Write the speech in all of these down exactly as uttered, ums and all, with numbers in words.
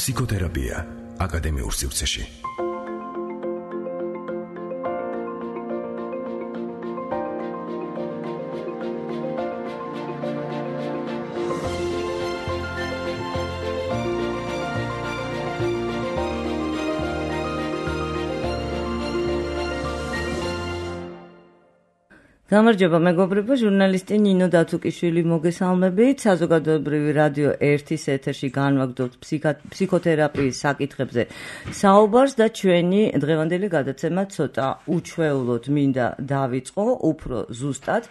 ფსიქოთერაპია აკადემიურ სივრცეში. გამარჯობა მეგობრებო, ჟურნალისტი ნინო დათუკიშვილი მოგესალმებით. საზოგადოებრივი რადიო ერთის ეთერში განვაგრძობთ ფსიქოთერაპიის საკითხებზე საუბარს და ჩვენი დღევანდელი გადაცემა ცოტა უჩვეულოდ მინდა დავიწყო, უფრო ზუსტად.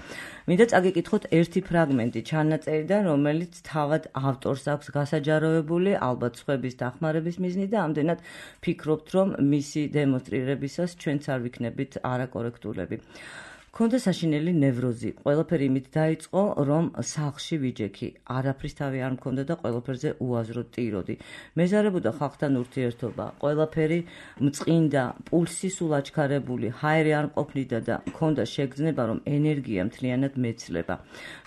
მინდა წაგიკითხოთ ერთი ფრაგმენტი ჩანაწერიდან, რომელიც თავად ავტორს აქვს გასაჯაროებული, ალბათ სხვების დახმარების მიზნით და ამდენად ფიქრობთ, რომ მისი დემონსტრირებისას ჩვენც არ ვიქნებით არაკორექტულები. Ქონდა საშინელი ნევროზი. ყველაფერი იმით დაიწყო, რომ სახლში ვიჯექი. არაფრის თავი არ მქონდა და ყველაფერზე უაზრო ტიროდი. მეზარებოდა ხალხთან ურთიერთობა. ყველაფერი მწყინდა, პულსი სულ აჩქარებული, ჰაერი არ მყოფნიდა და მქონდა შეგრძნება, რომ ენერგია მთლიანად მეცლება.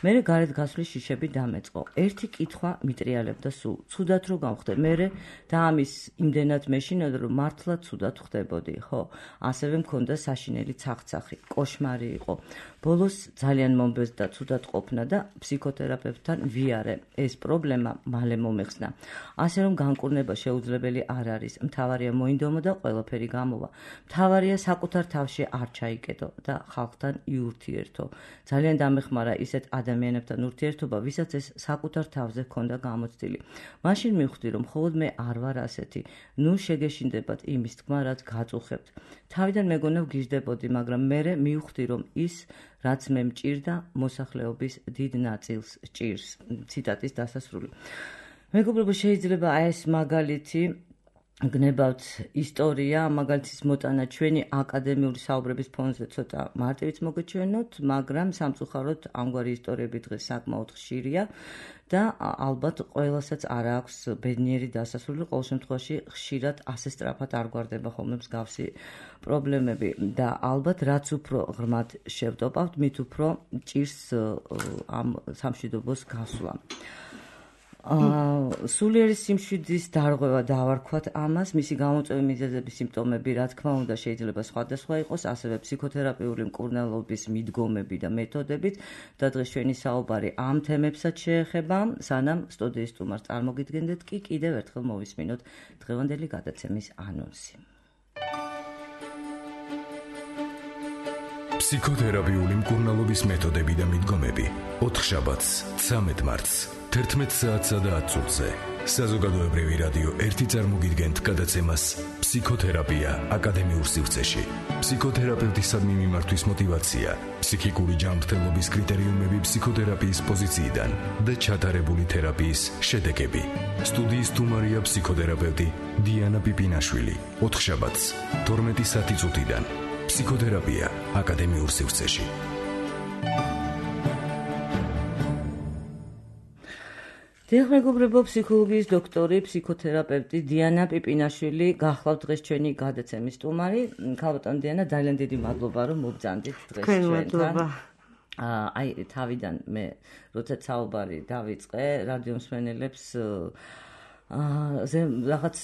მერე გარეთ გასვლის შიშები დამეწყო. ერთი კითხვა მიტრიალებდა სულ. ცუდად რო გავხდე. მერე და ამის იმდენად მეშინოდა, რომ მართლა ცუდად ხდებოდი, ხო? ასევე მქონდა საშინელი ცახცახი, კოშმარი იყო. ბოლოს ძალიან მომბეზდა ცუდად ყოფნა და ფსიქოთერაპევტთან ვიარე. ეს პრობლემა მალე მომეხსნა. ასე რომ განკურნება შეუძლებელი არ არის. მთავარია მოინდომო და ყველაფერი გამოვა. მთავარია საკუთარ თავში არ ჩაიკეტო და ხალხთან იურთიერთო. ძალიან დამეხმარა ისეთ ადამიანებთან ურთიერთობა, ვისაც ეს საკუთარ თავზე ჰქონდა გამოცდილი. მაშინ მივხვდი, რომ მხოლოდ მე არ ვარ ასეთი. ნუ შეგეშინდებათ იმის თქმა, რაც გაწუხებთ. თავიდან მეგონა ვგიჟდებოდი, მაგრამ მერე მივხვდი, რომ ის რაც მე მჭირდა მოსახლეობის დიდ ნაწილს ჭირს. ციტატის დასასრული. მეგობრებო, შეიძლება აი ეს მაგალითი გნებავთ ისტორია, მაგალითის მოტანა ჩვენი აკადემიური საუბრების ფონზე ცოტა მარტივიც მოგეჩვენოთ, მაგრამ სამწუხაროდ ამგვარი ისტორიები დღეს საკმაოდ ხშირია და ალბათ ყველასაც არ აქვს ბედნიერი დასასრული, ყოველ შემთხვევაში ხშირად ასე სწრაფად არ გვარდება ხოლმე მსგავსი პრობლემები და ალბათ რაც უფრო ღრმად შევტოპავთ, მით უფრო ჭირს ამ სამშვიდობოს გასვლა. სულიერი სიმშვიდის დარღვევა დავარქვათ ამას, მისი გამოწვევი მიზეზები, სიმპტომები, რა თქმა უნდა, შეიძლება სხვადასხვა იყოს, ასევე ფსიქოთერაპიული მკურნალობის მიდგომები და მეთოდებით და დღეს ჩვენი საუბარი ამ თემებსაც შეეხება. სანამ სტუდიის სტუმარს წარმოგიდგენდეთ, კი კიდევ ერთხელ მოვისმინოთ დღევანდელი გადაცემის ანონსი. ფსიქოთერაპიული მკურნალობის მეთოდები და მიდგომები. ოთხშაბათს, ცამეტ მარტს, თერთმეტ საათსა და ათ წუთზე. საზოგადოებრივი რადიო ერთი წარმოგიდგენთ გადაცემას ფსიქოთერაპია აკადემიურ სივრცეში. ფსიქოთერაპევტისადმი მიმართვის მოტივაცია, ფსიქიკური ჯანმრთელობის კრიტერიუმები ფსიქოთერაპიის პოზიციიდან და ჩატარებული თერაპიის შედეგები. სტუდიის სტუმარია ფსიქოთერაპევტი დიანა პიპინაშვილი. ოთხშაბათს, თორმეტი საათი წუთიდან. ფსიქოთერაპია აკადემიურ სივრცეში. დიახ, მეგობრებო, ფსიქოლოგიის დოქტორი, ფსიქოთერაპევტი დიანა პიპინაშვილი გახლავთ დღეს ჩვენი გადაცემის სტუმარი. ქალბატონ დიანა, ძალიან დიდი მადლობა, რომ მობრძანდით დღეს ჩვენთან. აი, თავიდან მე როცა საუბარი დავიწყე, რადიო მსმენელებს ზე რაღაც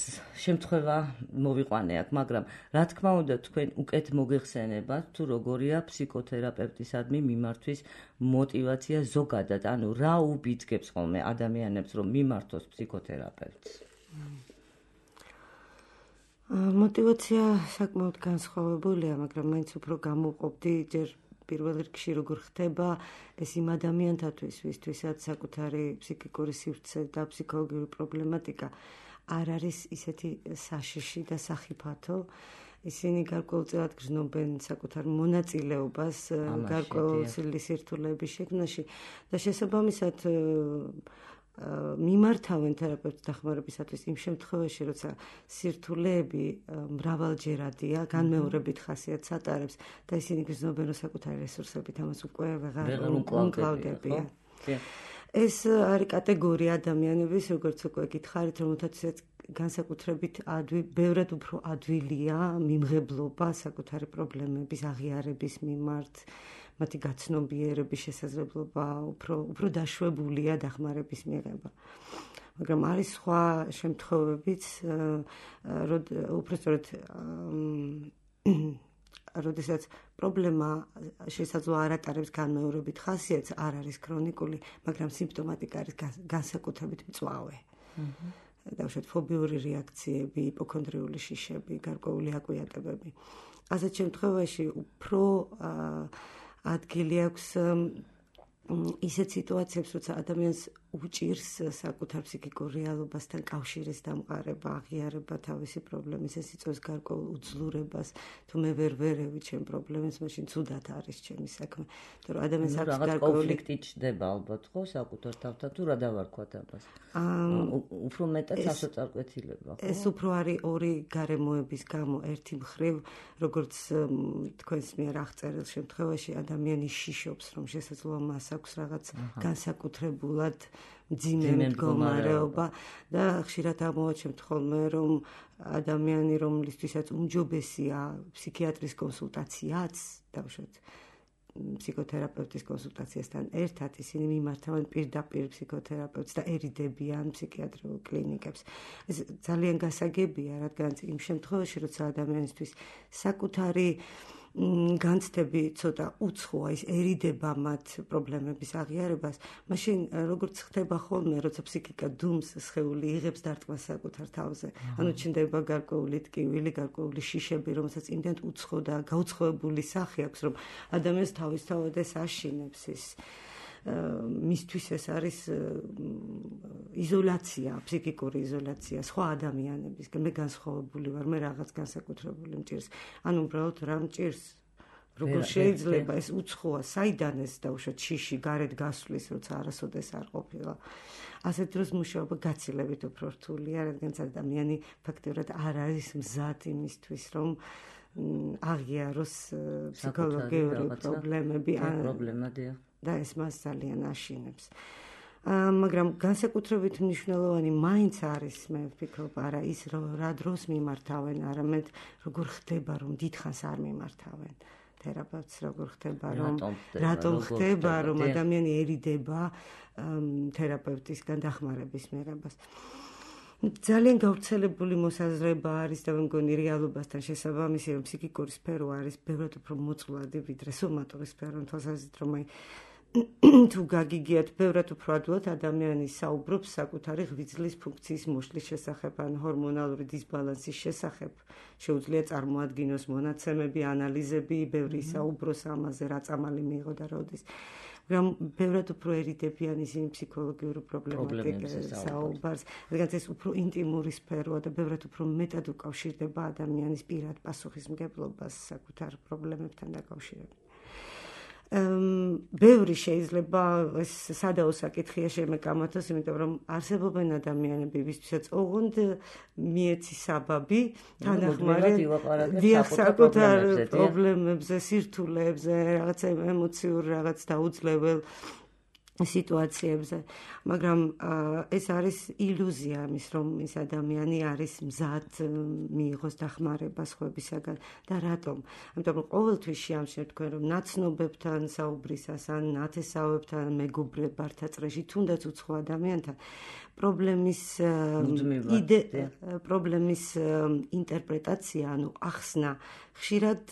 შემთხვევა მოვიყვანე აქ, მაგრამ რა თქმა უნდა თქვენ უკეთ მოგეხსენებათ თუ როგორია ფსიქოთერაპევტისადმი მიმართვის მოტივაცია ზოგადად, ანუ რა უბიძგებს ხოლმე ადამიანებს რომ მიმართოს ფსიქოთერაპევტს? მოტივაცია საკმაოდ განსხვავებულია, მაგრამ მაინც უფრო გამოვყოფდი ჯერ პირველ რიგში როგორ ხდება ეს იმ ადამიანთათვის, ვისთვისაც საკუთარი ფსიქიკური სივრცე და ფსიქოლოგიური პრობლემატიკა არ არის ისეთი საშიში და სახიფათო. ისინი გარკვეულწილად გრძნობენ საკუთარ მონაწილეობას გარკვეული სირთულეების შექმნაში და შესაბამისად მიმართავენ თერაპევტის დახმარებისათვის იმ შემთხვევაში, როცა სირთულეები მრავალჯერადია, განმეორებით ხასიათს ატარებს და ისინი გრძნობენ, რომ საკუთარი რესურსებით ამას უკვე ვეღარ უკრავდებიან. ეს არის კატეგორია ადამიანების, როგორც უკვე გითხარით, რომელთაც განსაკუთრებით ბევრად უფრო ადვილია მიმღებლობა საკუთარი პრობლემების აღიარების მიმართ, მათი გაცნობიერების შესაძლებლობა უფრო უფრო დაშვებულია დახმარების მიღება. მაგრამ არის სხვა შემთხვევებიც, უბრალოდ როდესაც პრობლემა შესაძლოა არ ატარებს განმეორებით ხასიათს, არ არის ქრონიკული, მაგრამ სიმპტომატიკა არის განსაკუთრებით მწვავე. დავუშვათ ფობიური რეაქციები, იპოქონდრიული შიშები, გარკვეული აკვიატებები. ასეთ შემთხვევაში უფრო ადგილი აქვს ისეთ სიტუაციებს, როცა ადამიანს უჭირს საკუთარ ფსიქიკურ რეალობასთან კავშირის დამყარება, აღიარება თავისი პრობლემის, ეს იწვევს გარკვეულ უძლურებას, თუ მე ვერ ვერევი ჩემ პრობლემებს, მაშინ ცუდად არის ჩემი საქმე. იმიტომ რომ ადამიანს აქვს გარკვეული კონფლიქტი ჩდება ალბათ, ხო, საკუთარ თავთან, თუ რა დავარქვათ ამას. უფრო მეტად სასოწარკვეთილება, ხო? ეს უფრო არის ორი გარემოების გამო, ერთი მხრივ, როგორც თქვენს მიერ აღწერილ შემთხვევაში ადამიანი შიშობს, რომ შესაძლოა მას აქვს რაღაც განსაკუთრებულად მძიმე მდგომარეობა და ხშირად ამოვაჩენთ ხოლმე, რომ ადამიანი, რომლისთვისაც უმჯობესია ფსიქიატრის კონსულტაციაც, დავუშვათ ფსიქოთერაპევტის კონსულტაციასთან ერთად, ისინი მიმართავენ პირდაპირ ფსიქოთერაპევტს და ერიდებიან ფსიქიატრიულ კლინიკებს. ეს ძალიან გასაგებია, რადგან იმ შემთხვევაში, როცა ადამიანისთვის საკუთარი განცდები ცოტა უცხოა, ისერიდება მათ პრობლემების აღიარებას, მაშინ როგორც ხდება ხოლმე, როცა ფსიქიკა დუმს, სხეული იღებს დარტყმას საკუთარ თავზე. ანუ ჩნდება გარკვეული ტკივილი, გარკვეული შიშები, რომელსაც იმდენად უცხო და გაუცხოებული სახე აქვს, რომ ადამიანს თავისთავად ეს აშინებს ის მისთვის ეს არის იზოლაცია, ფსიქიკური იზოლაცია, სხვა ადამიანებისგან. მე განსხვავებული ვარ, მე რაღაც განსაკუთრებული მჭირს. ანუ უბრალოდ რა მჭირს? როგორ შეიძლება ეს უცხოა, საიდან ეს დავუშვათ შიში გარეთ გასვლის, როცა არასოდეს არ ყოფილა. ასეთ დროს მუშაობა გაცილებით უფრო რთულია, რადგან ადამიანი ფაქტობრივად არ არის მზად იმისთვის, რომ აღიაროს ფსიქოლოგიური პრობლემები და ეს მას ძალიან აშინებს. მაგრამ განსაკუთრებით მნიშვნელოვანი მაინც არის, მე ვფიქრობ, არა ის რა დროს მიმართავენ, არამედ როგორ ხდება, რომ დიდხანს არ მიმართავენ თერაპევტს, როგორ ხდება, რომ რატომ ხდება, რომ ადამიანიერიდება თერაპევტისგან დახმარების მიღებას. ძალიან გავრცელებული მოსაზრება არის და მე მგონი რეალობასთან შესაბამისი, რომ ფსიქიკური სფერო არის ბევრად უფრო მოწყვლადი, ვიდრე სომატური სფერო, თვალსაზრისით, რომ აი თუ გაგიგიათ, ბევრად უფრო ადვილად ადამიანი საუბრობს საკუთარი ღვიძლის ფუნქციის მოშლის შესახებ, ან ჰორმონალური დისბალანსის შესახებ. შეუძლია წარმოადგინოს მონაცემები, ანალიზები, ბევრი საუბროს ამაზე, რა წამალი მიიღო და როდის. მაგრამ ბევრად უფროერიდებიან ისინი ფსიქოლოგიური პრობლემატიკის საუბარს, რადგან ეს უფრო ინტიმური სფეროა და ბევრად უფრო მეტად უკავშირდება ადამიანის პირად პასუხისმგებლობას საკუთარ პრობლემებთან დაკავშირებით. ბევრი შეიძლება ეს სადაო საკითხია შემეკამათოს, იმიტომ რომ არსებობენ ადამიანები, ვისთვისაც ოღონდ მიეცი საბაბი თანახმარად საკუთარ პრობლემებზე, სირთულეებზე, რაღაც ემოციურ რაღაც დაუძლებელ სიტუაციებზე, მაგრამ ეს არის ილუზია იმის, რომ ის ადამიანი არის მზად მიიღოს დახმარება სხვებისაგან და რატომ? ამიტომ ყოველთვის შეამჩნევთ თქვენ, რომ ნაცნობებთან საუბრისას ან ნათესავებთან, მეგობრებთან წრეში, თუნდაც უცხო ადამიანთან პრობლემის იდე პრობლემის ინტერპრეტაცია, ანუ ახსნა ხშირად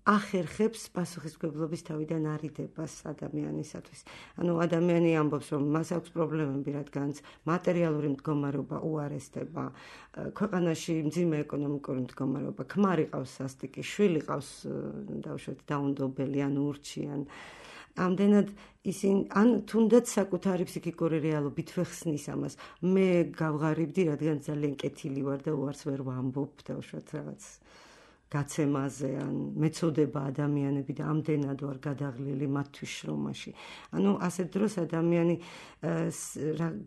ახერხებს პასუხისმგებლობის თავიდან არიდებას ადამიანისათვის. ანუ ადამიანი ამბობს, რომ მას აქვს პრობლემები, რადგანაც მატერიალური მდგომარეობა უარესდება, ქვეყანაში მძიმე ეკონომიკური მდგომარეობა, ქმარი ყავს სასტიკი, შვილი ყავს დავუშვათ დაუნდობელი ან ურჩი ან ამდენად ისინი ან თუნდაც საკუთარი ფსიქიკური რეალობით ვეხსნის ამას. მე გავღარიბდი, რადგან ძალიან კეთილი ვარ და უარს ვერ ვამბობ დავუშვათ რაღაც გაცემაზე ან მეწოდება ადამიანები და ამდენად ვარ გადაღლილი მათთვის შრომაში. ანუ ასეთ დროს ადამიანი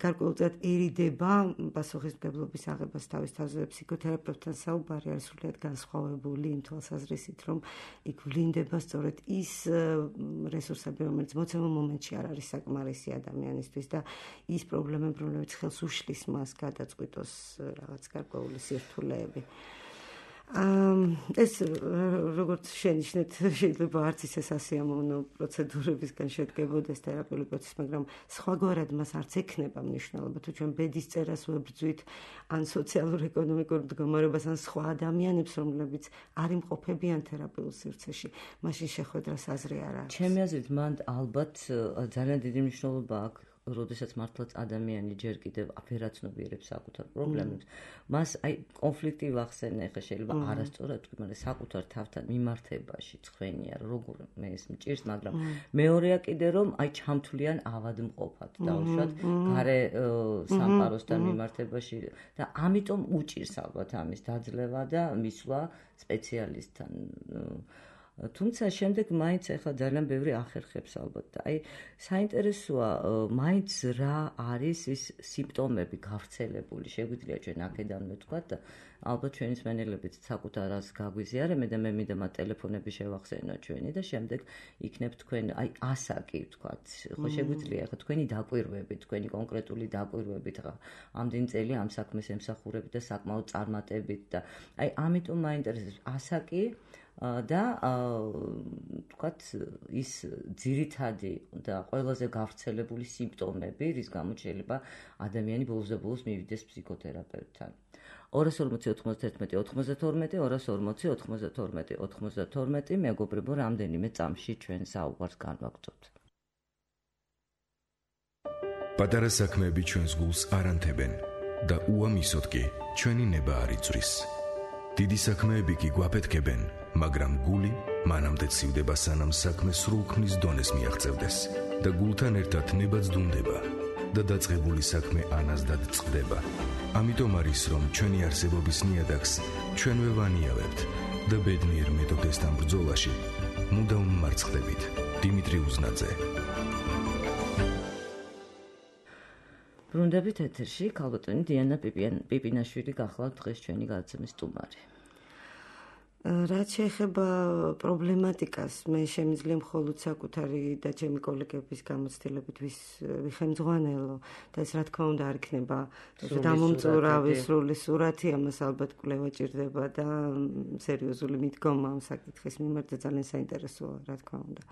გარკვეულწილადერიდება პასუხისმგებლობის აღებას თავის თავზე. ფსიქოთერაპევტთან საუბარი არის სრულიად განსხვავებული იმ თვალსაზრისით, რომ იქ ვლინდება სწორედ ის რესურსები, რომელიც მოცემულ მომენტში არ არის საკმარისი ადამიანისთვის და ის პრობლემები, რომლებიც ხელს უშლის მას გადაწყვიტოს რაღაც გარკვეული სირთულეები. ეს როგორც შენიშნეთ, შეიძლება არც ისე სასიამოვნო პროცედურებისგან შედგებოდეს თერაპიული პროცესი, მაგრამ სხვაგვარად მას არც ექნება მნიშვნელობა, თუ ჩვენ ბედის წერას ვებრძვით, ან სოციალურ-ეკონომიკურ მდგომარეობას, ან სხვა ადამიანებს, რომლებიც არ იმყოფებიან თერაპიულ სივრცეში, მაშინ შეხვედრას აზრი არ აქვს. ჩემი აზრით, მან ალბათ ძალიან დიდი მნიშვნელობა აქვს. როდესაც მართლაც ადამიანი ჯერ კიდევ აფერაცნობიერებს საკუთარ პრობლემებს, მას აი კონფლიქტი ვახსენე, ხა შეიძლება არასწორად თქვი, მაგრამ საკუთარ თავთან მიმართებაში ცხენია, როგორ მე ეს მჭირს, მაგრამ მეორეა კიდე რომ აი ჩამთვლიან ავადმყოფად დავუშვათ გარე სამყაროსთან მიმართებაში და ამიტომ უჭირს ალბათ ამის დაძლევა და მისვლა სპეციალისტთან. თუმცა შემდეგ მაინც ახლა ძალიან ბევრი ახერხებს ალბათ და აი საინტერესოა მაინც რა არის ის სიმპტომები გავრცელებული შეგვიძლია ჩვენ აქედანვე თქვა და ალბათ ჩვენი მსმენელებიც საკუთარას გაგვიზიარებენ და მე მინდა მათ ტელეფონები შევახსენო ჩვენი და შემდეგ იქნებ თქვენ აი ასაკი თქვა ხო შეგვიძლია ახლა თქვენი დაკვირვები თქვენი კონკრეტული დაკვირვებით ხა ამდენ წელი ამ საქმეს ემსახურებით და საკმაოდ წარმატებით და აი ამიტომ მაინტერესებს ასაკი და თქვათ ის ძირითადი და ყველაზე გავრცელებული სიმპტომები, რის გამოც შეიძლება ადამიანი ბოლოს და ბოლოს მივიდეს ფსიქოთერაპევტთან. ორას ორმოცი ოთხმოცდაერთმეტი ოცდაათმეტი ორას ორმოცი ოთხმოცდათორმეტი ოცდაათმეტი მეგობრებო, რამდენიმე წამში ჩვენ საუბარს განვაგრძობთ. პატარა საქმეები ჩვენს გულს არ ანთებენ და უამისოდ კი ჩვენი ნება არ იწვრის. დიდი საქმეები კი გვაფეთქებენ, მაგრამ გული მანამდე ცივდება, სანამ საქმე სრულქმნის დონეს მიაღწევდეს და გულთან ერთად ნებაც დუნდება და დაწყებული საქმე ანაზდად წყდება. ამიტომ არის, რომ ჩვენი არსებობის ნიადაგს ჩვენვე ვანიავებთ და ბედნიერ მეთოქესთან ბრძოლაში მუდამ მარცხდებით. დიმიტრი უზნაძე. ბრუნდებით ეთერში, ქალბატონი დიანა პიპინაშვილი გახლავთ დღეს ჩვენი გადაცემის სტუმარი. რაც შეეხება პრობლემატიკას, მე შემიძლია მხოლოდ საკუთარი და ჩემი კოლეგების გამოცდილებით ვიხემძღვანელო და ეს რა თქმა უნდა არ იქნება დამომწურავი სრული სურათი, ამას ალბათ კვლევა ჭირდება და სერიოზული მიდგომა ამ საკითხის მიმართ და ძალიან საინტერესოა, რა თქმა უნდა.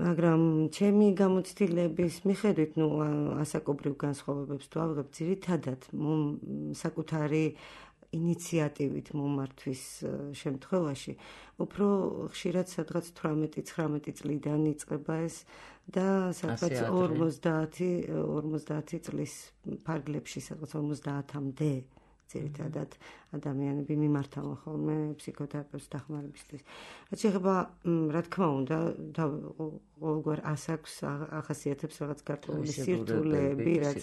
მაგრამ ჩემი გამოცდილების მიხედვით, ნუ ასაკობრივ განსხვავებებს თუ ავიღებ, ძირითადად საკუთარი ინიციატივით მომართვის შემთხვევაში უფრო ხშირად სადღაც თვრამეტი ცხრამეტი წლიდან იწყება ეს და სადღაც ორმოცდაათი წლის ფარგლებში, სადღაც ორმოცდაათამდე ძირითადად ადამიანები მიმართავენ ხოლმე ფსიქოთერაპევტს დახმარებისთვის. რაც შეეხება, რა თქმა უნდა, ყოველგვარ ასაკს ახასიათებს რაღაც გარკვეული სირთულეები, რაც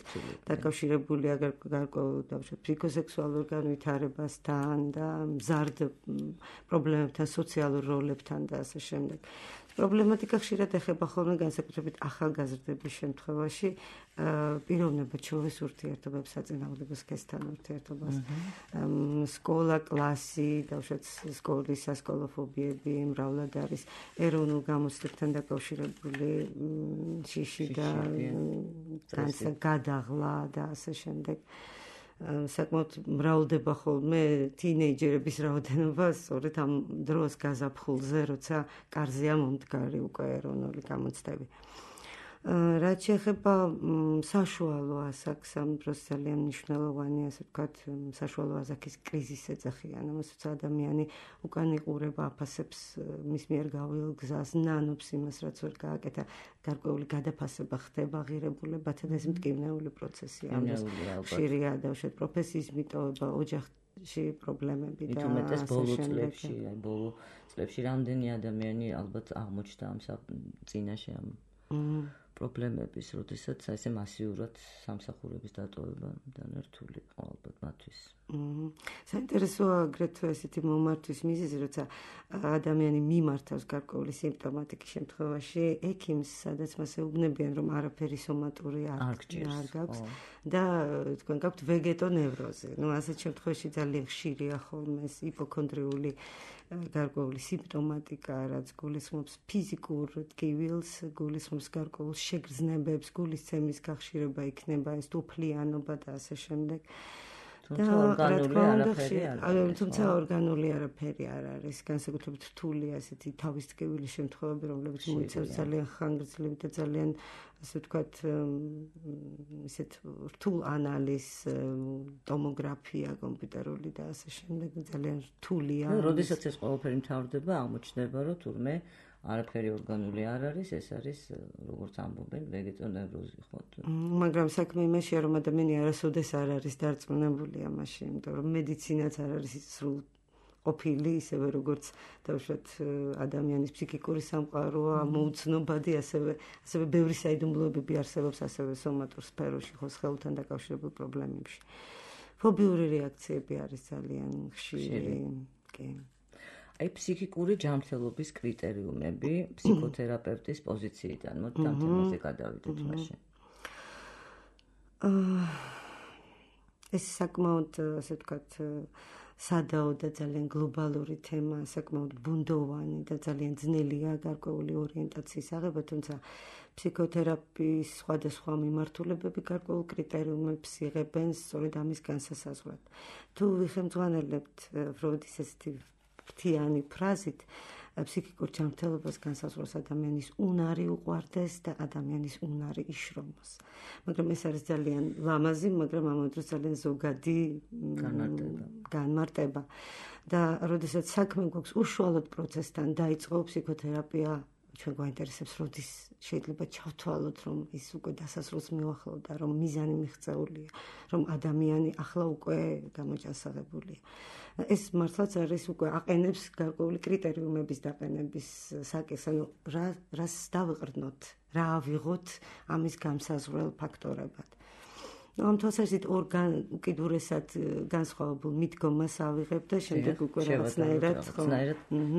დაკავშირებულია გარკვეულ ფსიქოსექსუალურ განვითარებასთან და მზარდ პრობლემებთან, სოციალურ როლებთან და ასე შემდეგ. პრობლემატიკა ხშირად ეხება ხოლმე განსაკუთრებით ახალგაზრდების შემთხვევაში პიროვნება ჩვეულის ურთიერთობებს, საწინააღმდეგო სქესთან ურთიერთობას, სკოლა, კლასი, დავუშვათ სკოლის სასკოლო ფობიები მრავლად არის ეროვნულ გამოცდებთან დაკავშირებული შიში და გადაღლა და ასე შემდეგ. საკმაოდ მრავლდება ხოლმე თინეიჯერების რაოდენობა სწორედ ამ დროს გაზაფხულზე, როცა კარზეა მომდგარი უკვე ეროვნული გამოცდები. რაც შეეხება საშუალო ასაკს, ამ დროს ძალიან მნიშვნელოვანია, ასე ვთქვათ, საშუალო ასაკის კრიზისს ეძახიან, რომელსაც ადამიანი უკან იყურება, აფასებს მის მიერ გაუველ გზას, ნანობს იმას, რაც ვერ გააკეთა, გარკვეული გადაფასება ხდება ღირებულებათა და ეს მტკივნეული პროცესია. ხშირია დავუშვათ პროფესიის მიტოვება, ოჯახში პრობლემები და ასე ბოლო წლებში, აი ბოლო წლებში რამდენი ადამიანი ალბათ აღმოჩნდა ამ წინაშე ამ პრობლემების, როდესაც ესე მასიურად სამსახურების დატოვება დანერტული ალბათ მათთვის. საინტერესოა აგრეთვე ესეთი მომართვის მიზეზი, როცა ადამიანი მიმართავს გარკვეული სიმპტომატიკის შემთხვევაში ექიმს, სადაც მას ეუბნებიან, რომ არაფერი სომატური არ გაქვს და თქვენ გაქვთ ვეგეტონევროზი. ნუ ასეთ შემთხვევაში ძალიან ხშირია ხოლმე ეს იპოქონდრიული გარკვეული სიმპტომატიკა, რაც გულისხმობს ფიზიკურ ტკივილს, გულისხმობს გარკვეულ შეგრძნებებს, გულისცემის გახშირება იქნება, ეს თუფლიანობა და ასე შემდეგ. თუმცა ორგანული არაფერი არ არის. თუმცა ორგანული არაფერი არ არის, განსაკუთრებით რთული ასეთი თავისტკივილი შემთხვევები, რომლებიც მოიცავს ძალიან ხანგრძლივი და ძალიან ასე ვთქვათ, ისეთ რთულ ანალიზს, ტომოგრაფია კომპიუტერული და ასე შემდეგ ძალიან რთულია. როდესაც ეს ყველაფერი მთავრდება, აღმოჩნდება, რომ თურმე არაფერი ორგანული არ არის, ეს არის როგორც ამბობენ ვეგეტონევროზი, ხო? მაგრამ საქმე იმაშია, რომ ადამიანი არასოდეს არ არის დარწმუნებული ამაში, იმიტომ რომ მედიცინაც არ არის სრულ ყოფილი, ისევე როგორც დავუშვათ ადამიანის ფსიქიკური სამყაროა, მოუცნობადი, ასევე ასევე ბევრი საიდუმლოებები არსებობს ასევე სომატურ სფეროში, ხო, ხელთან დაკავშირებულ პრობლემებში. ფობიური რეაქციები არის ძალიან ხშირი, კი. აი ფსიქიკური ჯანმრთელობის კრიტერიუმები ფსიქოთერაპევტის პოზიციიდან, მოდი ამ თემაზე გადავიდეთ მაშინ. ეს საკმაოდ, ასე ვთქვათ, სადაო და ძალიან გლობალური თემა, საკმაოდ ბუნდოვანი და ძალიან ძნელია გარკვეული ორიენტაციის აღება, თუმცა ფსიქოთერაპიის სხვადასხვა მიმართულებები გარკვეულ კრიტერიუმებს იღებენ სწორედ ამის განსასაზღვრად. თუ ვიხელმძღვანელებთ ფროიდის ესეთი ფრთიანი ფრაზით, ფსიქიკურ ჯანმრთელობას განსაზღვრავს ადამიანის უნარი უყვარდეს და ადამიანის უნარი იშრომოს. მაგრამ ეს არის ძალიან ლამაზი, მაგრამ ამავე დროს ძალიან ზოგადი განმარტება. და როდესაც საქმე გვაქვს უშუალოდ პროცესთან დაიწყო ფსიქოთერაპია, ჩვენ გვაინტერესებს, როდის შეიძლება ჩავთვალოთ, რომ ის უკვე დასასრულს მიუახლოვდა, რომ მიზანი მიღწეულია, რომ ადამიანი ახლა უკვე გამოჯანსაღებულია. ეს მართლაც არის უკვე აყენებს გარკვეული კრიტერიუმების დაყენების საკითხს, ანუ რა რას დავიყრდნოთ, რა ავიღოთ ამის გამსაზღვრელ ფაქტორებად. ამ თვალსაზრისით ორგან უკიდურესად განსხვავებულ მიდგომას ავიღებ და შემდეგ უკვე რაღაცნაირად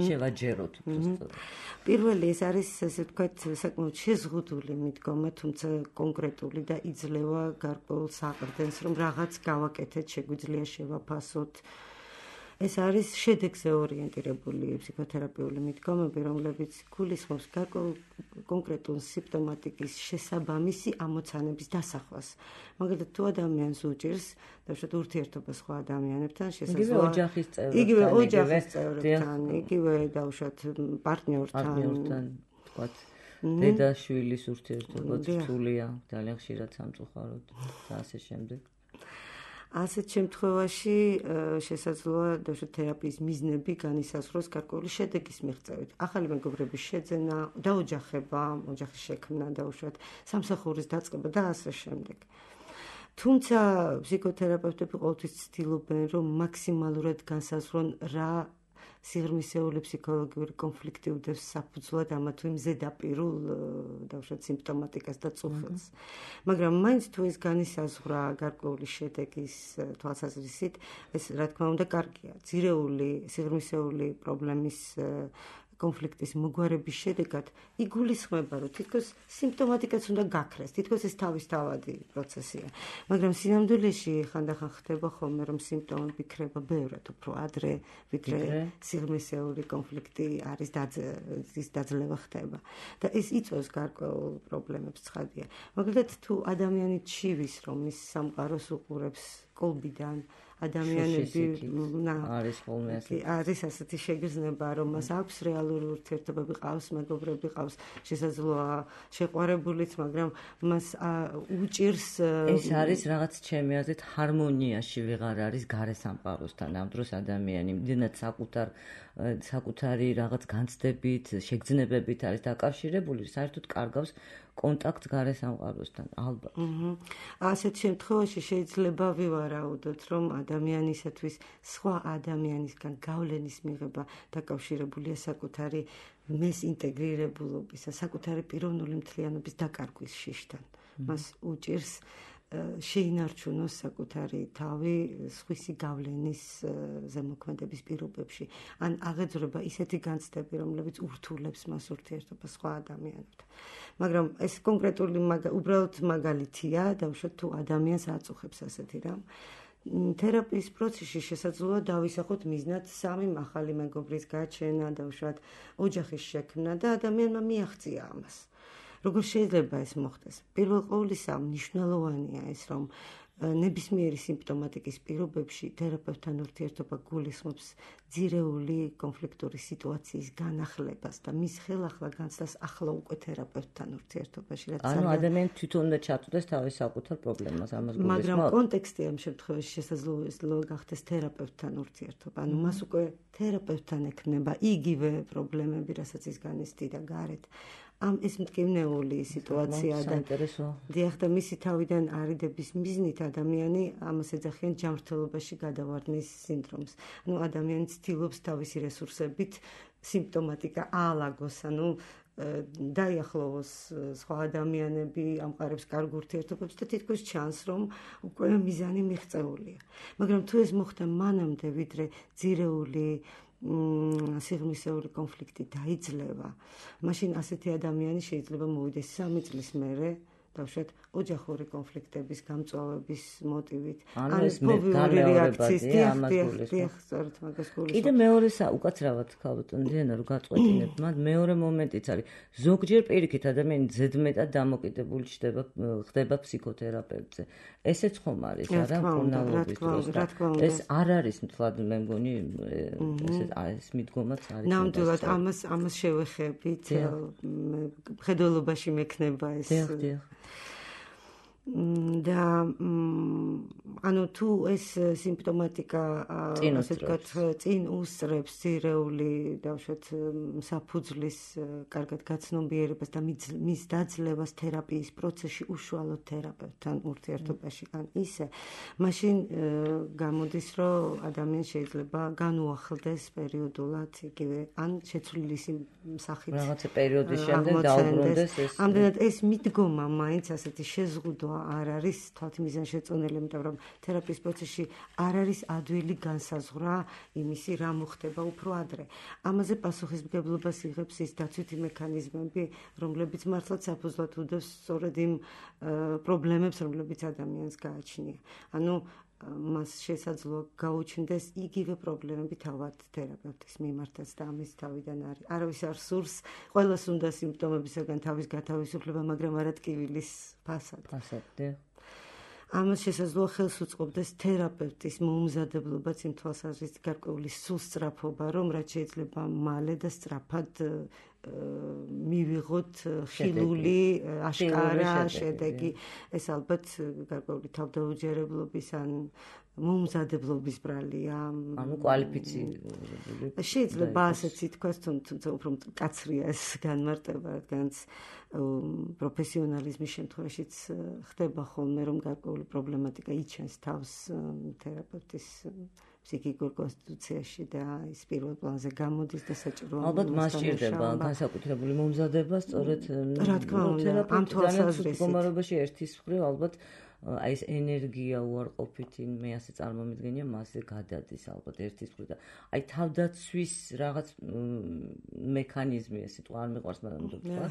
შევაჯეროთ უბრალოდ. პირველი ეს არის, ასე ვთქვათ, საკმაოდ შეზღუდული მიდგომა, თუმცა კონკრეტული და იძლევა გარკვეულ საყრდენს, რომ რაღაც გავაკეთეთ, შეგვიძლია შევაფასოთ. ეს არის შედეგზე ორიენტირებული ფსიქოთერაპიული მიდგომები, რომლებიც გულისხმობს გარკვეულ კონკრეტულ სიმპტომატიკის შესაბამისი ამოცანების დასახვას. მაგალითად, თუ ადამიანს უჭირს, დავუშვათ ურთიერთობა სხვა ადამიანებთან, შესაძლოა ოჯახის წევრებთან, იგივე ოჯახის წევრებთან, იგივე დავუშვათ პარტნიორთან, თქვათ, დედა-შვილის ურთიერთობა რთულია, ძალიან ხშირად სამწუხაროდ და ასე შემდეგ. ასეთ შემთხვევაში შესაძლოა დავუშვათ თერაპიის მიზნები განისაზღვროს გარკვეული შედეგის მიღწევით. ახალი მეგობრების შეძენა, დაოჯახება, ოჯახის შექმნა, დავუშვათ სამსახურის დაწყება და ასე შემდეგ. თუმცა ფსიქოთერაპევტები ყოველთვის ცდილობენ, რომ მაქსიმალურად განსაზღვრონ რა სიღრმისეული ფსიქოლოგიური კონფლიქტი უდევს საფუძვლად ამა თუ იმ ზედაპირულ დავუშვათ სიმპტომატიკას და წუხილს. მაგრამ მაინც თუ ეს განისაზღვრა გარკვეული შედეგის თვალსაზრისით, ეს რა თქმა უნდა კარგია. ძირეული სიღრმისეული პრობლემის კონფლიქტის მოგვარების შედეგად იგულისხმება, რომ თითქოს სიმპტომატიკაც უნდა გაქრეს, თითქოს ეს თავისთავადი პროცესია. მაგრამ სინამდვილეში ხანდახან ხდება ხოლმე, რომ სიმპტომები ქრება ბევრად უფრო ადრე, ვიდრე სიღრმისეული კონფლიქტი არის ის დაძლევა ხდება. და ეს იწვევს გარკვეულ პრობლემებს, ცხადია. მაგალითად, თუ ადამიანი ჩივის, რომ ის სამყაროს უყურებს კოლბიდან, ადამიანები არის ხოლმე ასეთი არის ასეთი შეგრძნება, რომ მას აქვს რეალური ურთიერთობები, ყავს მეგობრები, ყავს შესაძლოა შეყვარებულიც, მაგრამ მას უჭირს ეს არის რაღაც ჩემი აზრით ჰარმონიაში ვეღარ არის გარე სამყაროსთან. ამ დროს ადამიანი მდენად საკუთარ საკუთარი რაღაც განცდებით, შეგრძნებებით არის დაკავშირებული, საერთოდ კარგავს კონტაქტს გარე სამყაროსთან, ალბათ. ასეთ შემთხვევაში შეიძლება ვივარაუდოთ, რომ ადამიანისათვის სხვა ადამიანისგან გავლენის მიღება დაკავშირებულია საკუთარი მეს ინტეგრირებულობისა, საკუთარი პიროვნული მთლიანობის დაკარგვის შიშთან. მას უჭირს შეინარჩუნოს საკუთარი თავი სხვისი გავლენის ზემოქმედების პირობებში, ან აღეძრება ისეთი განცდები, რომლებიც ურთულებს მას ურთიერთობას სხვა ადამიანებთან. მაგრამ ეს კონკრეტული უბრალოდ მაგალითია, დავუშვათ თუ ადამიანს აწუხებს ასეთი რამ. თერაპიის პროცესში შესაძლოა დავისახოთ მიზნად სამი ახალი მეგობრის გაჩენა, დავუშვათ ოჯახის შექმნა და ადამიანმა მიაღწია ამას. როგორ შეიძლება ეს მოხდეს? პირველ ყოვლისა მნიშვნელოვანია ეს, რომ ნებისმიერი სიმპტომატიკის პირობებში თერაპევტთან ურთიერთობა გულისხმობს ძირეული კონფლიქტური სიტუაციის განახლებას და მის ხელახლა განცდას ახლა უკვე თერაპევტთან ურთიერთობაში. ანუ ადამიანი თვითონ უნდა ჩაწვდეს თავის საკუთარ პრობლემას ამას გულისხმობს. მაგრამ კონტექსტი ამ შემთხვევაში შესაძლოა გახდეს თერაპევტთან ურთიერთობა. ანუ მას უკვე თერაპევტთან ექნება იგივე პრობლემები, რასაც ის განიცდიდა გარეთ. ამ ეს მტკივნეული სიტუაცია და დიახ და მისი თავიდან არიდების მიზნით ადამიანი ამას ეძახიან ჯანმრთელობაში გადავარდნის სინდრომს. ანუ ადამიანი ცდილობს თავისი რესურსებით სიმპტომატიკა აალაგოს, ანუ დაიახლოვოს სხვა ადამიანები, ამყარებს კარგ ურთიერთობებს და თითქოს ჩანს, რომ უკვე მიზანი მიღწეულია. მაგრამ თუ ეს მოხდა მანამდე, ვიდრე ძირეული სიღრმისეული კონფლიქტი დაიძლევა, მაშინ ასეთი ადამიანი შეიძლება მოვიდეს სამი წლის მერე დავუშვათ ოჯახური კონფლიქტების გამწვავების მოტივით. ანუ ეს ფობიური რეაქცია ამას გულისხმობს. კიდე მეორე უკაცრავად ქალბატონ დიანა რომ გაწყვეტინებ, მათ მეორე მომენტიც არის. ზოგჯერ პირიქით ადამიანი ზედმეტად დამოკიდებული ხდება ხდება ფსიქოთერაპევტზე. ესეც ხომ არის, არა, მკურნალობის დროს. ეს არ არის მთლად მე მგონი ესე ეს მიდგომაც არის. ნამდვილად ამას ამას შევეხებით. მხედველობაში მექნება ეს და ანუ თუ ეს სიმპტომატიკა ასე ვთქვათ წინ უსწრებს ძირეული დავუშვათ საფუძვლის კარგად გაცნობიერებას და მის დაძლევას თერაპიის პროცესში უშუალოდ თერაპევტთან ურთიერთობაში ან ისე მაშინ გამოდის რომ ადამიანს შეიძლება განუახლდეს პერიოდულად იგივე ან შეცვლილი სახით რაღაცა პერიოდის შემდეგ დაუბრუნდეს ეს ამდენად ეს მიდგომა მაინც ასეთი შეზღუდვა არ არის თვალთმიზანშეწონილი, იმიტომ რომ თერაპიის პროცესში არ არის ადვილი განსაზღვრა იმისი რა მოხდება უფრო ადრე. ამაზე პასუხისმგებლობას იღებს ის დაცვითი მექანიზმები, რომლებიც მართლაც საფუძვლად უდევს სწორედ იმ პრობლემებს, რომლებიც ადამიანს გააჩნია. ანუ მას შესაძლოა გაუჩნდეს იგივე პრობლემები თავად თერაპევტის მიმართაც და ამის თავიდან არის. არავის არ სურს, ყველას უნდა სიმპტომებისგან თავის გათავისუფლება, მაგრამ არა ტკივილის ფასად. ფასად. ამას შესაძლოა ხელს უწყობდეს თერაპევტის მოუმზადებლობაც იმ თვალსაზრისით გარკვეული სულსწრაფობა, რომ რაც შეიძლება მალე და სწრაფად მივიღოთ ხილული აშკარა შედეგი. ეს ალბათ გარკვეული თავდაუჯერებლობის ან მოუმზადებლობის ბრალია. ანუ კვალიფიცირებული. შეიძლება ასეც ითქვას, თუმცა უფრო მკაცრია ეს განმარტება, რადგანაც პროფესიონალიზმის შემთხვევაშიც ხდება ხოლმე, რომ გარკვეული პრობლემატიკა იჩენს თავს თერაპევტის ფსიქიკურ კონსტიტუციაში და ის პირველ პლანზე გამოდის და საჭიროა. ალბათ მას სჭირდება განსაკუთრებული მომზადება, სწორედ რა თქმა უნდა, ამ თვალსაზრისით მდგომარეობაში ერთის მხრივ ალბათ აი ეს ენერგია უარყოფითი მე ასე წარმომიდგენია მასზე გადადის ალბათ ერთის მხრივ და აი თავდაცვის რაღაც მექანიზმი ეს სიტყვა არ მიყვარს მაგრამ თქვა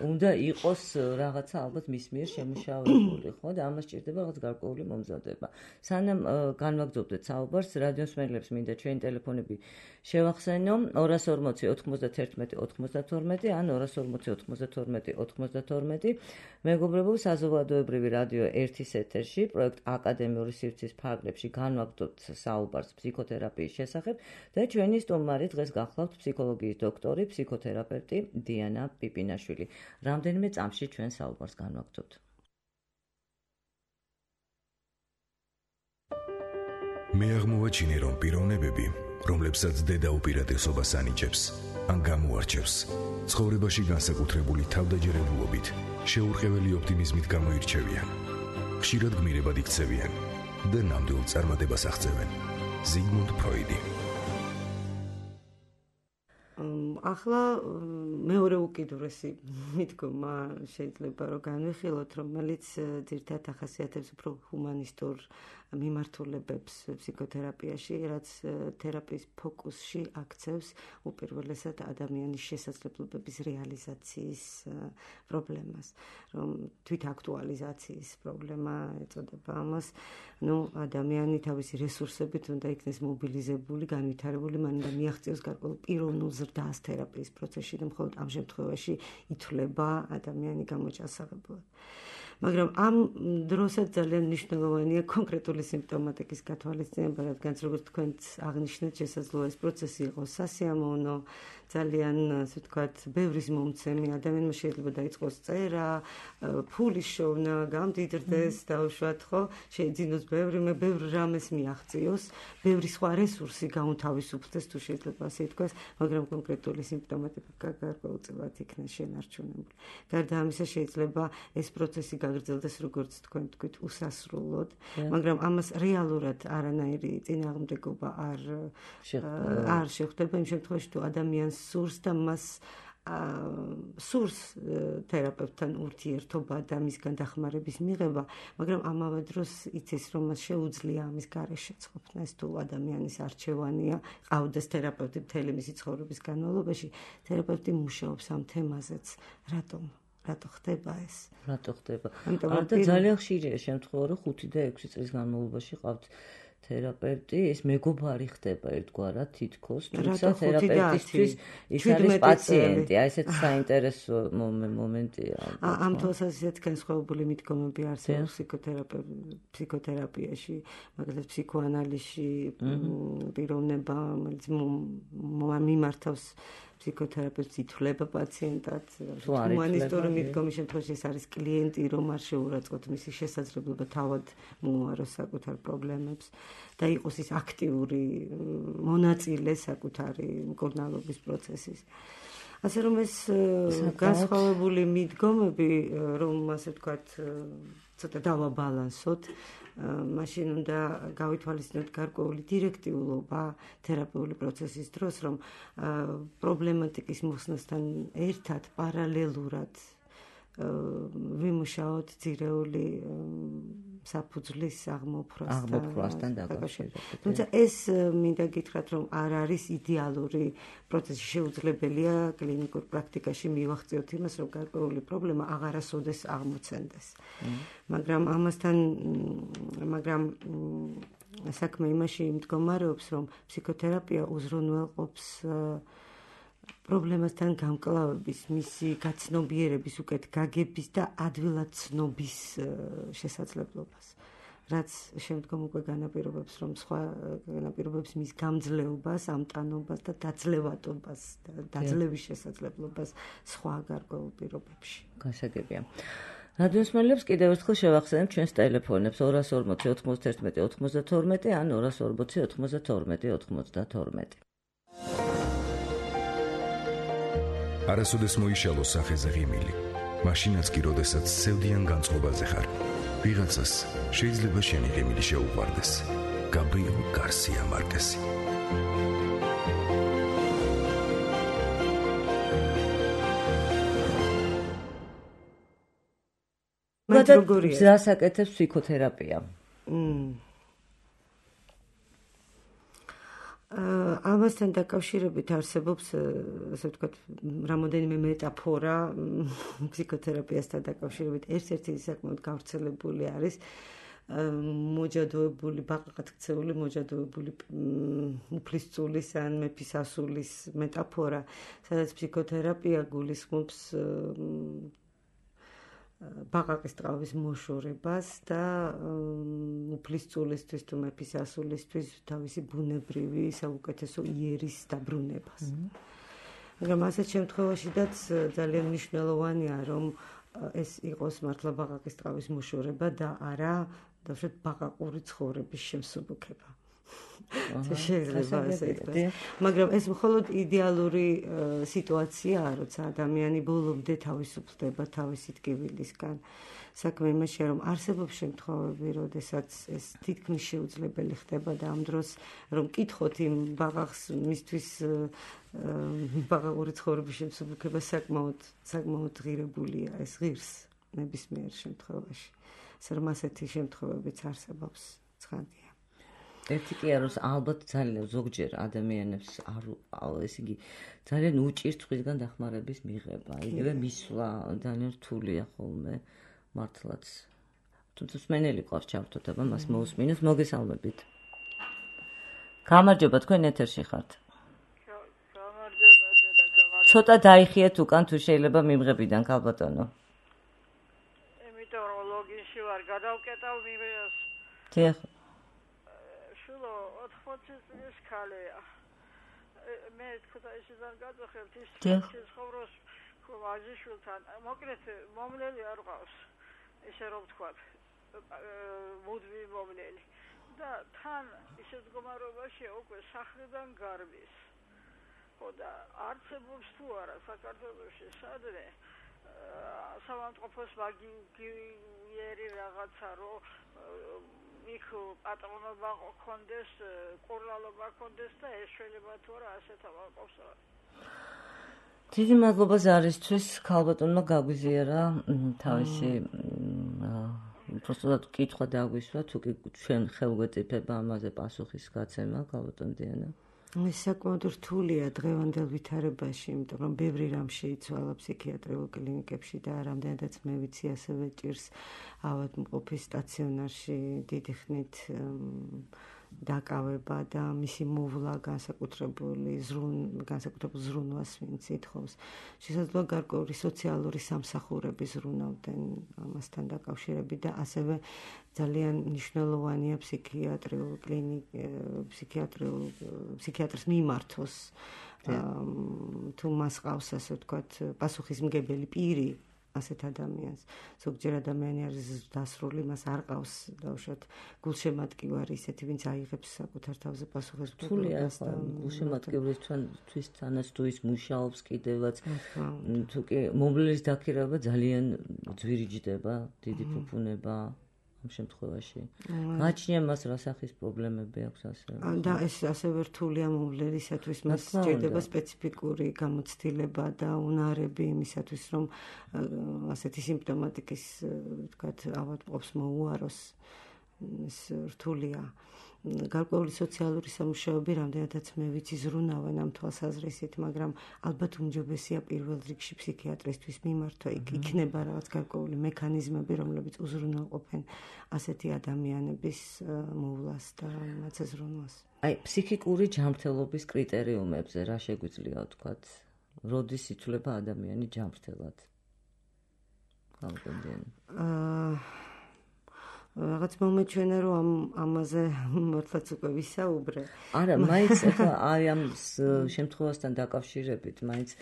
უნდა იყოს რაღაცა ალბათ მის მიერ შემუშავებული ხო და ამას სჭირდება რაღაც გარკვეული მომზადება. სანამ განვაგრძობდეთ საუბარს რადიოს მსმენელებს მინდა ჩვენი ტელეფონები შევახსენო ორას ორმოცი ოთხმოცდათერთმეტი ოცდათორმეტი ან ორას ორმოცი ოცდათორმეტი ოცდათორმეტი მეგობრებო საზოგადოებრივი რადიო ერთის ეთერში პროექტ აკადემიური სივრცის ფარგლებში განვაგრძობთ საუბარს ფსიქოთერაპიის შესახებ და ჩვენი სტუმარი დღეს გახლავთ ფსიქოლოგიის დოქტორი, ფსიქოთერაპევტი დიანა პიპინაშვილი. რამდენიმე წამში ჩვენ საუბარს განვაგრძობთ. მე აღმოვაჩინე რომ პიროვნებები, რომლებსაც დედა უპირატესობას ანიჭებს, ან გამოარჩევს, ცხოვრებაში განსაკუთრებული თავდაჯერებულობით, შეურყეველი ოპტიმიზმით გამოირჩევიან. ხშირად გმირებად იქცევიან და ნამდვილ წარმატებას აღწევენ. ზიგმუნდ ფროიდი. ახლა მეორე უკიდურესი მიდგომა შეიძლება რომ განვიხილოთ, რომელიც ძირითადად ახასიათებს უფრო ჰუმანისტურ მიმართულებებს ფსიქოთერაპიაში, რაც თერაპიის ფოკუსში აქცევს უპირველესად ადამიანის შესაძლებლობების რეალიზაციის პრობლემას, რომ თვითაქტუალიზაციის პრობლემა ეწოდება ამას. ნუ ადამიანი თავისი რესურსებით უნდა იქნეს მობილიზებული, განვითარებული, მან უნდა მიაღწიოს გარკვეულ პიროვნულ ზრდას თერაპიის პროცესში და მხოლოდ ამ შემთხვევაში ითვლება ადამიანი გამოჯანსაღებულად. მაგრამ ამ დროსაც ძალიან მნიშვნელოვანია კონკრეტული სიმპტომატიკის გათვალისწინება, რადგან როგორც თქვენც აღნიშნეთ, შესაძლოა ეს პროცესი იყოს სასიამოვნო, ძალიან, ასე ვთქვათ, ბევრის მომცემი, ადამიანმა შეიძლება დაიწყოს წერა, ფულის შოვნა, გამდიდრდეს, დაუშვათ, ხო, შეიძინოს ბევრი, მე ბევრ რამეს მიაღწიოს, ბევრი სხვა რესურსი გაუნთავისუფლდეს, თუ შეიძლება ასე ითქვას, მაგრამ კონკრეტული სიმპტომატიკა გარკვეულწილად იქნება შენარჩუნებული. გარდა ამისა, შეიძლება ეს პროცესი გაგრძელდეს, როგორც თქვენ თქვით, უსასრულოდ, მაგრამ ამას რეალურად არანაირი წინააღმდეგობა არ არ შეხვდება იმ შემთხვევაში, თუ ადამიანს სურს და მას სურს თერაპევტთან ურთიერთობა და მისგან დახმარების მიღება, მაგრამ ამავე დროს იცის, რომ მას შეუძლია ამის გარეშე ყოფნა, ეს თუ ადამიანის არჩევანია, ყავდეს თერაპევტი მთელი მისი ცხოვრების განმავლობაში, თერაპევტი მუშაობს ამ თემაზეც, რატომ? რატო ხდება ეს? რატო ხდება? და ძალიან ხშირია შემთხვევა, რომ ხუთი და ექვსი წლის განმავლობაში ყავთ თერაპევტი, ეს მეგობარი ხდება ერთგვარად თითქოს, თუმცა თერაპევტისთვის ის არის პაციენტი, აი ესეც საინტერესო მომენტია. ამ თვალსაზრისით განსხვავებული მიდგომები არსებობს ფსიქოთერაპიაში, მაგალითად ფსიქოანალიზში, პიროვნება, რომელიც მიმართავს ფსიქოთერაპევტს ითვლება პაციენტად, ჰუმანისტური მიდგომის შემთხვევაში ეს არის კლიენტი, რომ არ შეურაცხყოფთ მისი შესაძლებლობა თავად მოუაროს საკუთარ პრობლემებს და იყოს ის აქტიური მონაწილე საკუთარი მკურნალობის პროცესის. ასე რომ ეს განსხვავებული მიდგომები, რომ ასე ვთქვათ, ცოტა დავაბალანსოთ, მაშინ უნდა გავითვალისწინოთ გარკვეული დირექტიულობა თერაპიული პროცესის დროს, რომ პრობლემატიკის მოხსნასთან ერთად პარალელურად ვიმუშაოთ ძირეული საფუძვლის აღმოფხვასთან დაკავშირებით. თუმცა ეს მინდა გითხრათ, რომ არ არის იდეალური პროცესი, შეუძლებელია კლინიკურ პრაქტიკაში მივახციოთ იმას, რომ გარკვეული პრობლემა აღარასოდეს აღმოცენდეს. მაგრამ ამასთან, მაგრამ საქმე იმაში მდგომარეობს, რომ ფსიქოთერაპია უზრუნველყოფს პრობლემასთან გამკლავების, მისი გაცნობიერების, უკეთ გაგების და ადვილად ცნობის შესაძლებლობას, რაც შემდგომ უკვე განაპირობებს, რომ სხვა განაპირობებს მის გამძლეობას, ამტანობას და დაძლევადობას, დაძლევის შესაძლებლობას სხვა გარკვეულ პირობებში. გასაგებია. რადიოსმენელებს კიდევ ერთხელ შევახსენებ ჩვენს ტელეფონებს ორას ორმოცი ოთხმოცდაერთმეტი ოთხმოცდათორმეტი ან ორას ორმოცი ოთხმოცდათორმეტი ოთხმოცდათორმეტი. არასოდეს მოიშალო სახეზე ღიმილი, მაშინაც კი როდესაც სევდიან განწყობაზე ხარ. ვიღაცას შეიძლება შენი ღიმილი შეუყვარდეს. გაბრიელ გარსია მარკესი. მათ როგორია? გზას აკეთებს ფსიქოთერაპია. ამასთან დაკავშირებით არსებობს, ასე ვთქვათ, რამოდენიმე მეტაფორა ფსიქოთერაპიასთან დაკავშირებით. ერთ-ერთი საკმაოდ გავრცელებული არის მოჯადოებული, ბაყაყად ქცეული მოჯადოებული უფლისწულის ან მეფის ასულის მეტაფორა, სადაც ფსიქოთერაპია გულისხმობს ბაყაყის ტყავის მოშორებას და უფლისწულისთვის თუ მეფის ასულისთვის თავისი ბუნებრივი საუკეთესო იერის დაბრუნებას. მაგრამ ასეთ შემთხვევაშიდაც ძალიან მნიშვნელოვანია, რომ ეს იყოს მართლა ბაყაყის ტყავის მოშორება და არა დავშოთ ბაყაყური ცხოვრების შემსუბუქება. შეიძლება ასე ითქვას. მაგრამ ეს მხოლოდ იდეალური სიტუაციაა, როცა ადამიანი ბოლომდე თავისუფლდება თავისი ტკივილისგან. საქმე იმაშია, რომ არსებობს შემთხვევები, როდესაც ეს თითქმის შეუძლებელი ხდება და ამ დროს რომ კითხოთ იმ ბაყაყს მისთვის ბაყაყური ცხოვრების შემსუბუქება საკმაოდ საკმაოდ ღირებულია, ეს ღირს ნებისმიერ შემთხვევაში. ასე რომ ასეთი შემთხვევებიც არსებობს ცხადია. ერთი კი არის, ალბათ ძალიან ზოგჯერ ადამიანებს არ ესე იგი ძალიან უჭირთ სხვისგან დახმარების მიღება. იგივე მისვლა ძალიან რთულია ხოლმე მართლაც. თუმცა მსმენელი ყავს ჩავთოთ, აბა მას მოусმინოს, მოგესალმებით. გამარჯობა, თქვენ ეთერში ხართ. გამარჯობა და გამარჯობა. ცოტა დაიხიეთ უკან თუ შეიძლება მიმღებიდან, ქალბატონო. იმიტომ რომ გადავკეტავ მივეს. დიახ. შულო ოთხმოცი წლის ქალია. მე ქუთაისიდან გადავხებთ ის ცხოვრობს ვაჟიშვილთან. მოკლედ მომლელი არ ყავს. ესე რომ ვთქვათ, მუდმივი მომლელი. და თან ისეთ მდგომარეობაშია უკვე სახლიდან გარბის. ხო და არცებობს თუ არა საქართველოში სადრე სამავთყოფოს მაგიერი რაღაცა რომ იქ პატრონობა კონდეს, ყურლალობა კონდეს და ეს შეიძლება თუ არა ასეთ ავაკობს რა. დიდი მადლობა ზარისთვის, ქალბატონმა გაგვიზიარა თავისი просто კითხვა დაგვისვა, თუ კი ჩვენ ხელგვეწიფება ამაზე პასუხის გაცემა, ქალბატონ დიანა. ეს საკმაოდ რთულია დღევანდელ ვითარებაში, იმიტომ რომ ბევრი რამ შეიცვალა ფსიქიატრიულ კლინიკებში და რამდენადაც მე ვიცი, ასევე ჭირს ავადმყოფის სტაციონარში დიდი ხნით დაკავება და მისი მოვლა განსაკუთრებული ზრუნ განსაკუთრებულ ზრუნვას ვინც ითხოვს. შესაძლოა გარკვეული სოციალური სამსახურები ზრუნავდნენ ამასთან დაკავშირებით და ასევე ძალიან მნიშვნელოვანია ფსიქიატრიულ კლინიკ ფსიქიატრიულ ფსიქიატრს მიმართოს თუ მას ყავს ასე ვთქვათ პასუხისმგებელი პირი ასეთ ადამიანს. ზოგჯერ ადამიანი არის დასრული, მას არ ყავს დაუშვათ გულშემატკივარი ისეთი, ვინც აიღებს საკუთარ თავზე პასუხისმგებლობას და გულშემატკივრისთვის თანაც თუ ის მუშაობს კიდევაც, თუ კი მომლელის დაქირავება ძალიან ძვირიჯდება, დიდი ფუფუნება ამ შემთხვევაში. გაჩნია მას რა სახის პრობლემები აქვს ასევე. და ეს ასევე რთულია მომლელისათვის, მას სჭირდება სპეციფიკური გამოცდილება და უნარები იმისათვის, რომ ასეთი სიმპტომატიკის, ვთქვათ, ავადმყოფს მოუაროს. ეს რთულია. გარკვეული სოციალური სამუშაოები რამდენადაც მე ვიცი ზრუნავენ ამ თვალსაზრისით, მაგრამ ალბათ უმჯობესია პირველ რიგში ფსიქიატრისთვის მიმართვა. იქნება რაღაც გარკვეული მექანიზმები, რომლებიც უზრუნველყოფენ ასეთი ადამიანების მოვლას და მათზე ზრუნვას. აი, ფსიქიკური ჯანმრთელობის კრიტერიუმებზე რა შეგვიძლია ვთქვათ? როდის ითვლება ადამიანი ჯანმრთელად? აა რაღაც მომეჩვენა რომ ამ ამაზე მართლაც უკვე ვისაუბრე. არა, მაინც ახლა აი ამ შემთხვევასთან დაკავშირებით, მაინც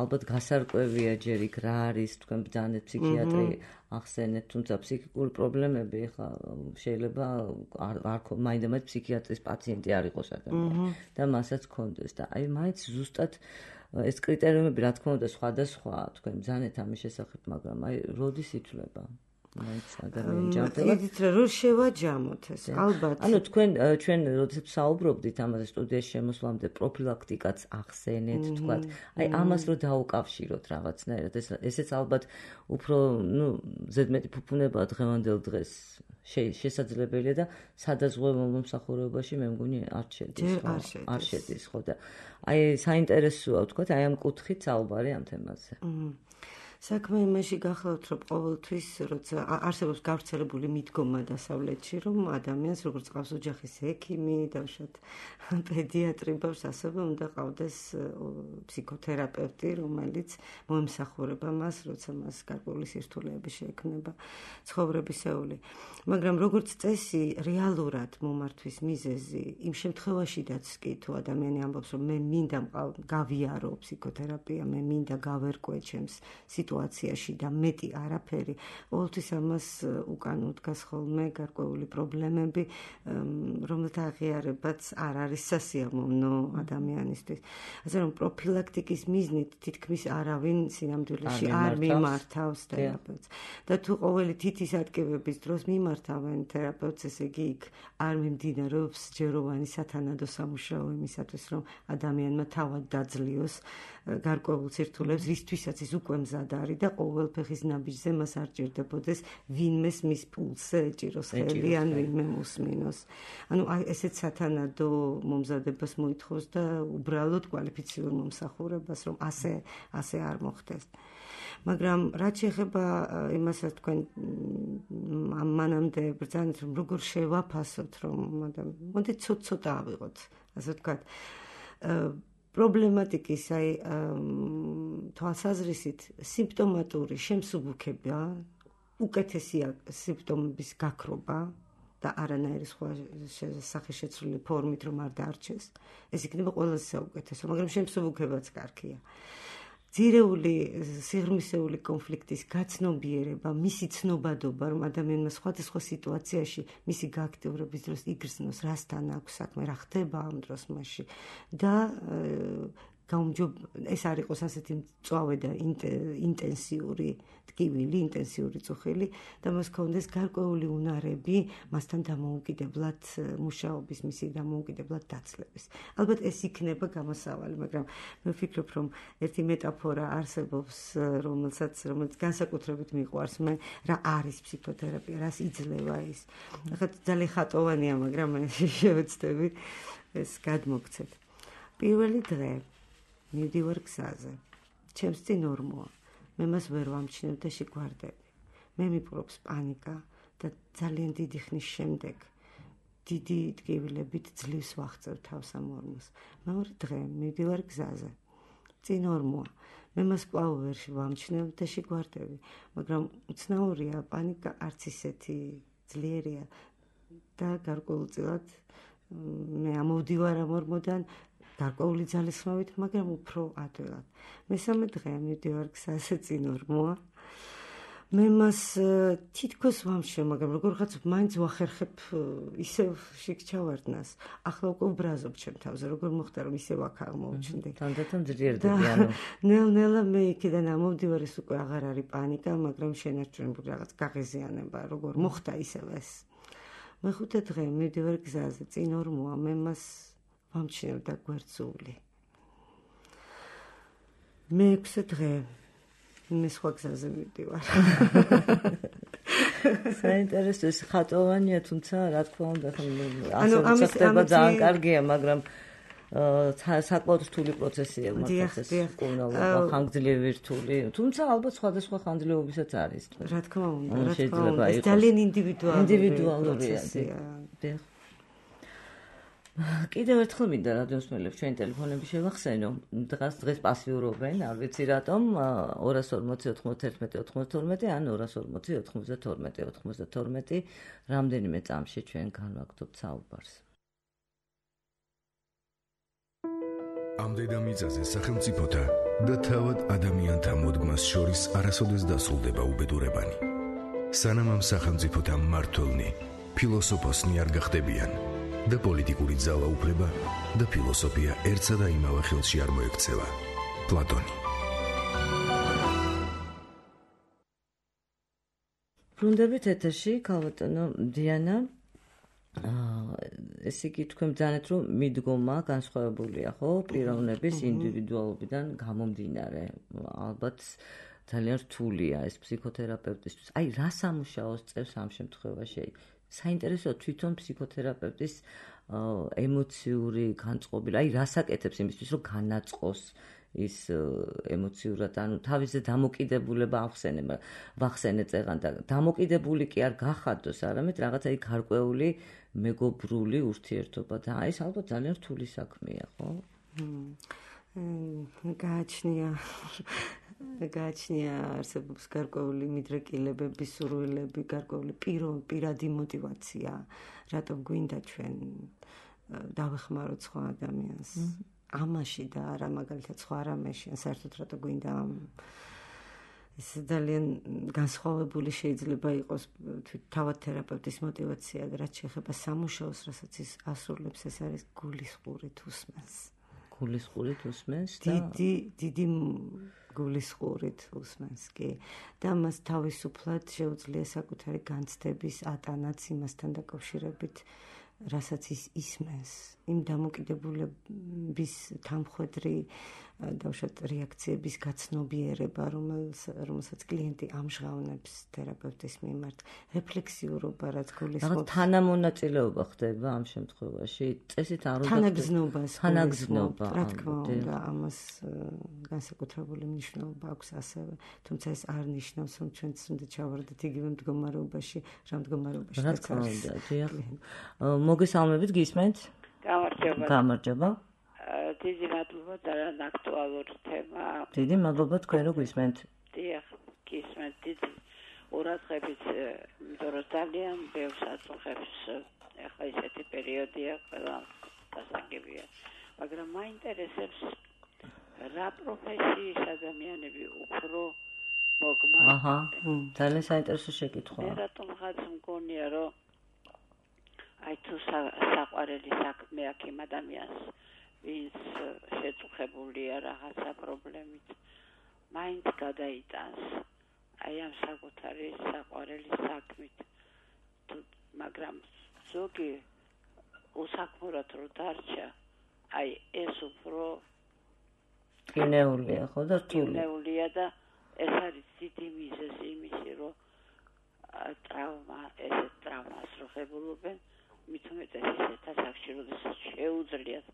ალბათ გასარკვევია ჯერ იქ რა არის თქვენ ბრძანეთ ფსიქიატრი ახსენეთ, თუმცა ფსიქიკური პრობლემები ახლა შეიძლება არ არ მაინდამაინც ფსიქიატრის პაციენტი არ იყოს ადამიანი და მასაც ქონდეს და აი მაინც ზუსტად ეს კრიტერიუმები რა თქმა უნდა სხვადასხვაა თქვენ ბრძანეთ ამის შესახებ, მაგრამ აი როდის ითვლება? მაინც ადამიანი ჯანმრთელად იდით რომ შევაჯამოთ ეს ალბათ ანუ თქვენ ჩვენ როდესაც საუბრობდით ამაზე სტუდიაში შემოსვლამდე პროფილაქტიკაც ახსენეთ თქვათ აი ამას რომ დაუკავშიროთ რაღაცნაირად ეს ესეც ალბათ უფრო ნუ ზედმეტი ფუფუნება დღევანდელ დღეს შესაძლებელია და სადაზღვევო მომსახურებაში მე მგონი არ შედის არ შედის ხო და აი საინტერესოა თქვათ აი ამ კუთხით საუბარი ამ თემაზე საქმე იმაში გახლავთ, რომ ყოველთვის როცა არსებობს გავრცელებული მიდგომა დასავლეთში, რომ ადამიანს როგორც ყავს ოჯახის ექიმი, დავშოთ პედიატრი, ბავშვს ასევე უნდა ყავდეს ფსიქოთერაპევტი, რომელიც მოემსახურება მას, როცა მას გარკვეული სირთულეები შეექმნება ცხოვრებისეული. მაგრამ როგორც წესი, რეალურად მომართვის მიზეზი იმ შემთხვევაშიდაც კი თუ ადამიანი ამბობს, რომ მე მინდა გავიარო ფსიქოთერაპია, მე მინდა გავერკვე ჩემს სიტუაციაში და მეტი არაფერი, ყოველთვის ამას უკან უდგას ხოლმე გარკვეული პრობლემები, რომელთა აღიარებაც არ არის სასიამოვნო ადამიანისთვის. ასე რომ პროფილაქტიკის მიზნით თითქმის არავინ სინამდვილეში არ მიმართავს თერაპევტს. და თუ ყოველი თითის ატკივების დროს მიმართავენ თერაპევტს, ესე იგი იქ არ მიმდინარეობს ჯეროვანი სათანადო სამუშაო იმისათვის, რომ ადამიანმა თავად დაძლიოს გარკვეულ სირთულეებს, რისთვისაც ის უკვე მზად არის და ყოველ ფეხის ნაბიჯზე მას არ ჭირდებოდეს ვინმეს მის პულსზე ეჭიროს ხელი ან ვინმე მოსმინოს. ანუ აი ესეც სათანადო მომზადებას მოითხოვს და უბრალოდ კვალიფიციურ მომსახურებას, რომ ასე ასე არ მოხდეს. მაგრამ რაც შეეხება იმასაც თქვენ მანამდე ბრძანეთ, რომ როგორ შევაფასოთ, რომ მოდით ცოტ-ცოტა ავიღოთ, ასე ვთქვათ. პრობლემატიკის აი თვალსაზრისით სიმპტომატური შემსუბუქება უკეთესია სიმპტომების გაქრობა და არანაირი სხვა სახეშეცვლილი ფორმით რომ არ დაარჩეს, ეს იქნება ყველაზე საუკეთესო, მაგრამ შემსუბუქებაც კარგია. ძირეული სიღრმისეული კონფლიქტის გაცნობიერება, მისი ცნობადობა, რომ ადამიანმა სხვადასხვა სიტუაციაში მისი გააქტიურების დროს იგრძნოს, რასთან აქვს საქმე, რა ხდება ამ დროს მასში და ეს არ იყოს ასეთი მწვავე და ინტენსიური ტკივილი, ინტენსიური წუხილი და მას ქონდეს გარკვეული უნარები მასთან დამოუკიდებლად მუშაობის, მისი დამოუკიდებლად დაცლების. ალბათ ეს იქნება გამოსავალი, მაგრამ მე ვფიქრობ, რომ ერთი მეტაფორა არსებობს, რომელსაც რომელიც განსაკუთრებით მიყვარს მე, რა არის ფსიქოთერაპია, რას იძლევა ის. ახლა ძალიან ხატოვანია, მაგრამ მე შევეცდები ეს გადმოგცეთ. პირველი დღე მივდივარ გზაზე. ჩემს წინ ორმოა. მე მას ვერ ვამჩნევ და შეგვარდები. მე მიპყრობს პანიკა და ძალიან დიდი ხნის შემდეგ დიდი ტკივილებით ძლივს ვახწევ თავს ამ ორმოს. მეორე დღე მივდივარ გზაზე. წინ ორმოა. მე მას კვლავ ვერ ვამჩნევ და შეგვარდები. მაგრამ უცნაურია, პანიკა არც ისეთი ძლიერია და გარკვეულწილად მე ამოვდივარ ამ ორმოდან გარკვეული ძალისხმევით, მაგრამ უფრო ადვილად. მესამე დღე მივდივარ გზაზე, წინ ორმოა. მე მას თითქოს ვამჩნევ, მაგრამ როგორღაც მაინც ვახერხებ ისევ შიგჩავარდნას. ახლა უკვე უბრაზობ ჩემ თავზე, როგორ მოხდა რომ ისევ აქ აღმოუჩნდი. თანდათან ძლიერდება, ანუ ნელ-ნელა მე იქიდან ამოვდივარ, ეს უკვე აღარ არის პანიკა, მაგრამ შენარჩუნებული რაღაც გაღიზიანება, როგორ მოხდა ისევ ეს. მეხუთე დღე მივდივარ გზაზე, წინ ორმოა, მე მას ვამჩნევ და გვერდსული. მეექვსე დღე მე სხვა გზაზე მივდივარ. საინტერესო, ეს ხატოვანია, თუმცა რა თქმა უნდა, ასე ხდება ძალიან კარგია, მაგრამ საკმაოდ რთული პროცესია მართლაც ეს კურნალობა, ხანგრძლივი რთული, თუმცა ალბათ სხვადასხვა ხანგრძლივობისაც არის. რა თქმა უნდა, რა თქმა უნდა, ეს ძალიან ინდივიდუალურია. კიდევ ერთხელ მინდა რადიოს მსმენელებს ჩვენ ტელეფონები შევახსენო. დღეს დღეს პასიურობენ, არ ვიცი რატომ, ორას ორმოცი ოთხმოცდაერთმეტი ოცდათორმეტი ან ორას ორმოცი ოთხმოცდათორმეტი ოცდათორმეტი რამდენიმე წამში ჩვენ განვაგრძობთ საუბარს. ამ დედამიწაზე სახელმწიფოთა და თავად ადამიანთა მოდგმას შორის არასოდეს დასრულდება უბედურებანი. სანამ ამ სახელმწიფოთა მმართველნი ფილოსოფოსნი არ გახდებიან და პოლიტიკური ძალაუფლება და ფილოსოფია ერთსა და იმავე ხელში არ მოექცევა. პლატონი. ბრუნდებით ეთერში, ქალბატონო დიანა. ესე იგი თქვენ ბრძანეთ, რომ მიდგომა განსხვავებულია, ხო, პიროვნების ინდივიდუალობიდან გამომდინარე. ალბათ ძალიან რთულია ეს ფსიქოთერაპევტისთვის. აი, რა სამუშაოს წევს ამ შემთხვევაში? საინტერესოა თვითონ ფსიქოთერაპევტის ემოციური განწყობილება, აი რას აკეთებს იმისთვის, რომ განაწყოს ის ემოციურად, ანუ თავისი დამოკიდებულება ახსენება, ვახსენე წეღან და დამოკიდებული კი არ გახადოს, არამედ რაღაცა იქ გარკვეული მეგობრული ურთიერთობა და აი ეს ალბათ ძალიან რთული საქმეა, ხო? გააჩნია გააჩნია არსებობს გარკვეული მიდრეკილებები, სურვილები, გარკვეული პირადი მოტივაცია, რატომ გვინდა ჩვენ დავეხმაროთ სხვა ადამიანს ამაში და არა მაგალითად სხვა რამეში, ან საერთოდ რატომ გვინდა ეს ძალიან განსხვავებული შეიძლება იყოს თავად თერაპევტის მოტივაცია და რაც შეეხება სამუშაოს, რასაც ის ასრულებს, ეს არის გულისყურით უსმენს. გულისყურით უსმენს და დიდი დიდი გულისყურით უსმენს კი და მას თავისუფლად შეუძლია საკუთარი განცდების ატანაც იმასთან დაკავშირებით, რასაც ის ისმენს, იმ დამოკიდებულების თანმხვედრი დავუშვათ რეაქციების გაცნობიერება, რომელსაც კლიენტი ამჟღავნებს თერაპევტის მიმართ, რეფლექსიურობა, რაც გულისხმობს. თანამონაწილეობა ხდება ამ შემთხვევაში, წესით არ უნდა თანაგზნობას, თანაგზნობა, რა თქმა უნდა, ამას განსაკუთრებული მნიშვნელობა აქვს ასევე, თუმცა ეს არ ნიშნავს, რომ ჩვენც უნდა ჩავარდეთ იგივე მდგომარეობაში, რა მდგომარეობაში რა თქმა უნდა, დიახ. მოგესალმებით, გისმენთ? გამარჯობა. გამარჯობა. დიდი მადლობა და აქტუალური თემა. დიდი მადლობა თქვენ რო გისმენთ. დიახ, გისმენთ. დიდი ყურადღებით, იმიტომ რომ ძალიან ბევრს აწუხებს ახლა ისეთი პერიოდია, ყველა დასაგებია. მაგრამ მაინტერესებს რა პროფესიის ადამიანები უფრო მოგმართ. აჰა, ძალიან საინტერესო შეკითხვაა. მე რატომღაც მგონია, რომ აი თუ საყვარელი საქმე აქვს იმ ადამიანს, ვინც შეწუხებულია რაღაცა პრობლემით, მაინც გადაიტანს აი ამ საკუთარი საყვარელი საქმით. მაგრამ ზოგი უსაქმურად რო დარჩა, აი ეს უფრო კინეულია, ხო და რთული. კინეულია და ეს არის დიდი მიზეზი იმისი, რომ ტრავმა, ესეთ ტრავმას რო ხებულობენ, მით უმეტეს ისეთ ასაკში, როდესაც შეუძლიათ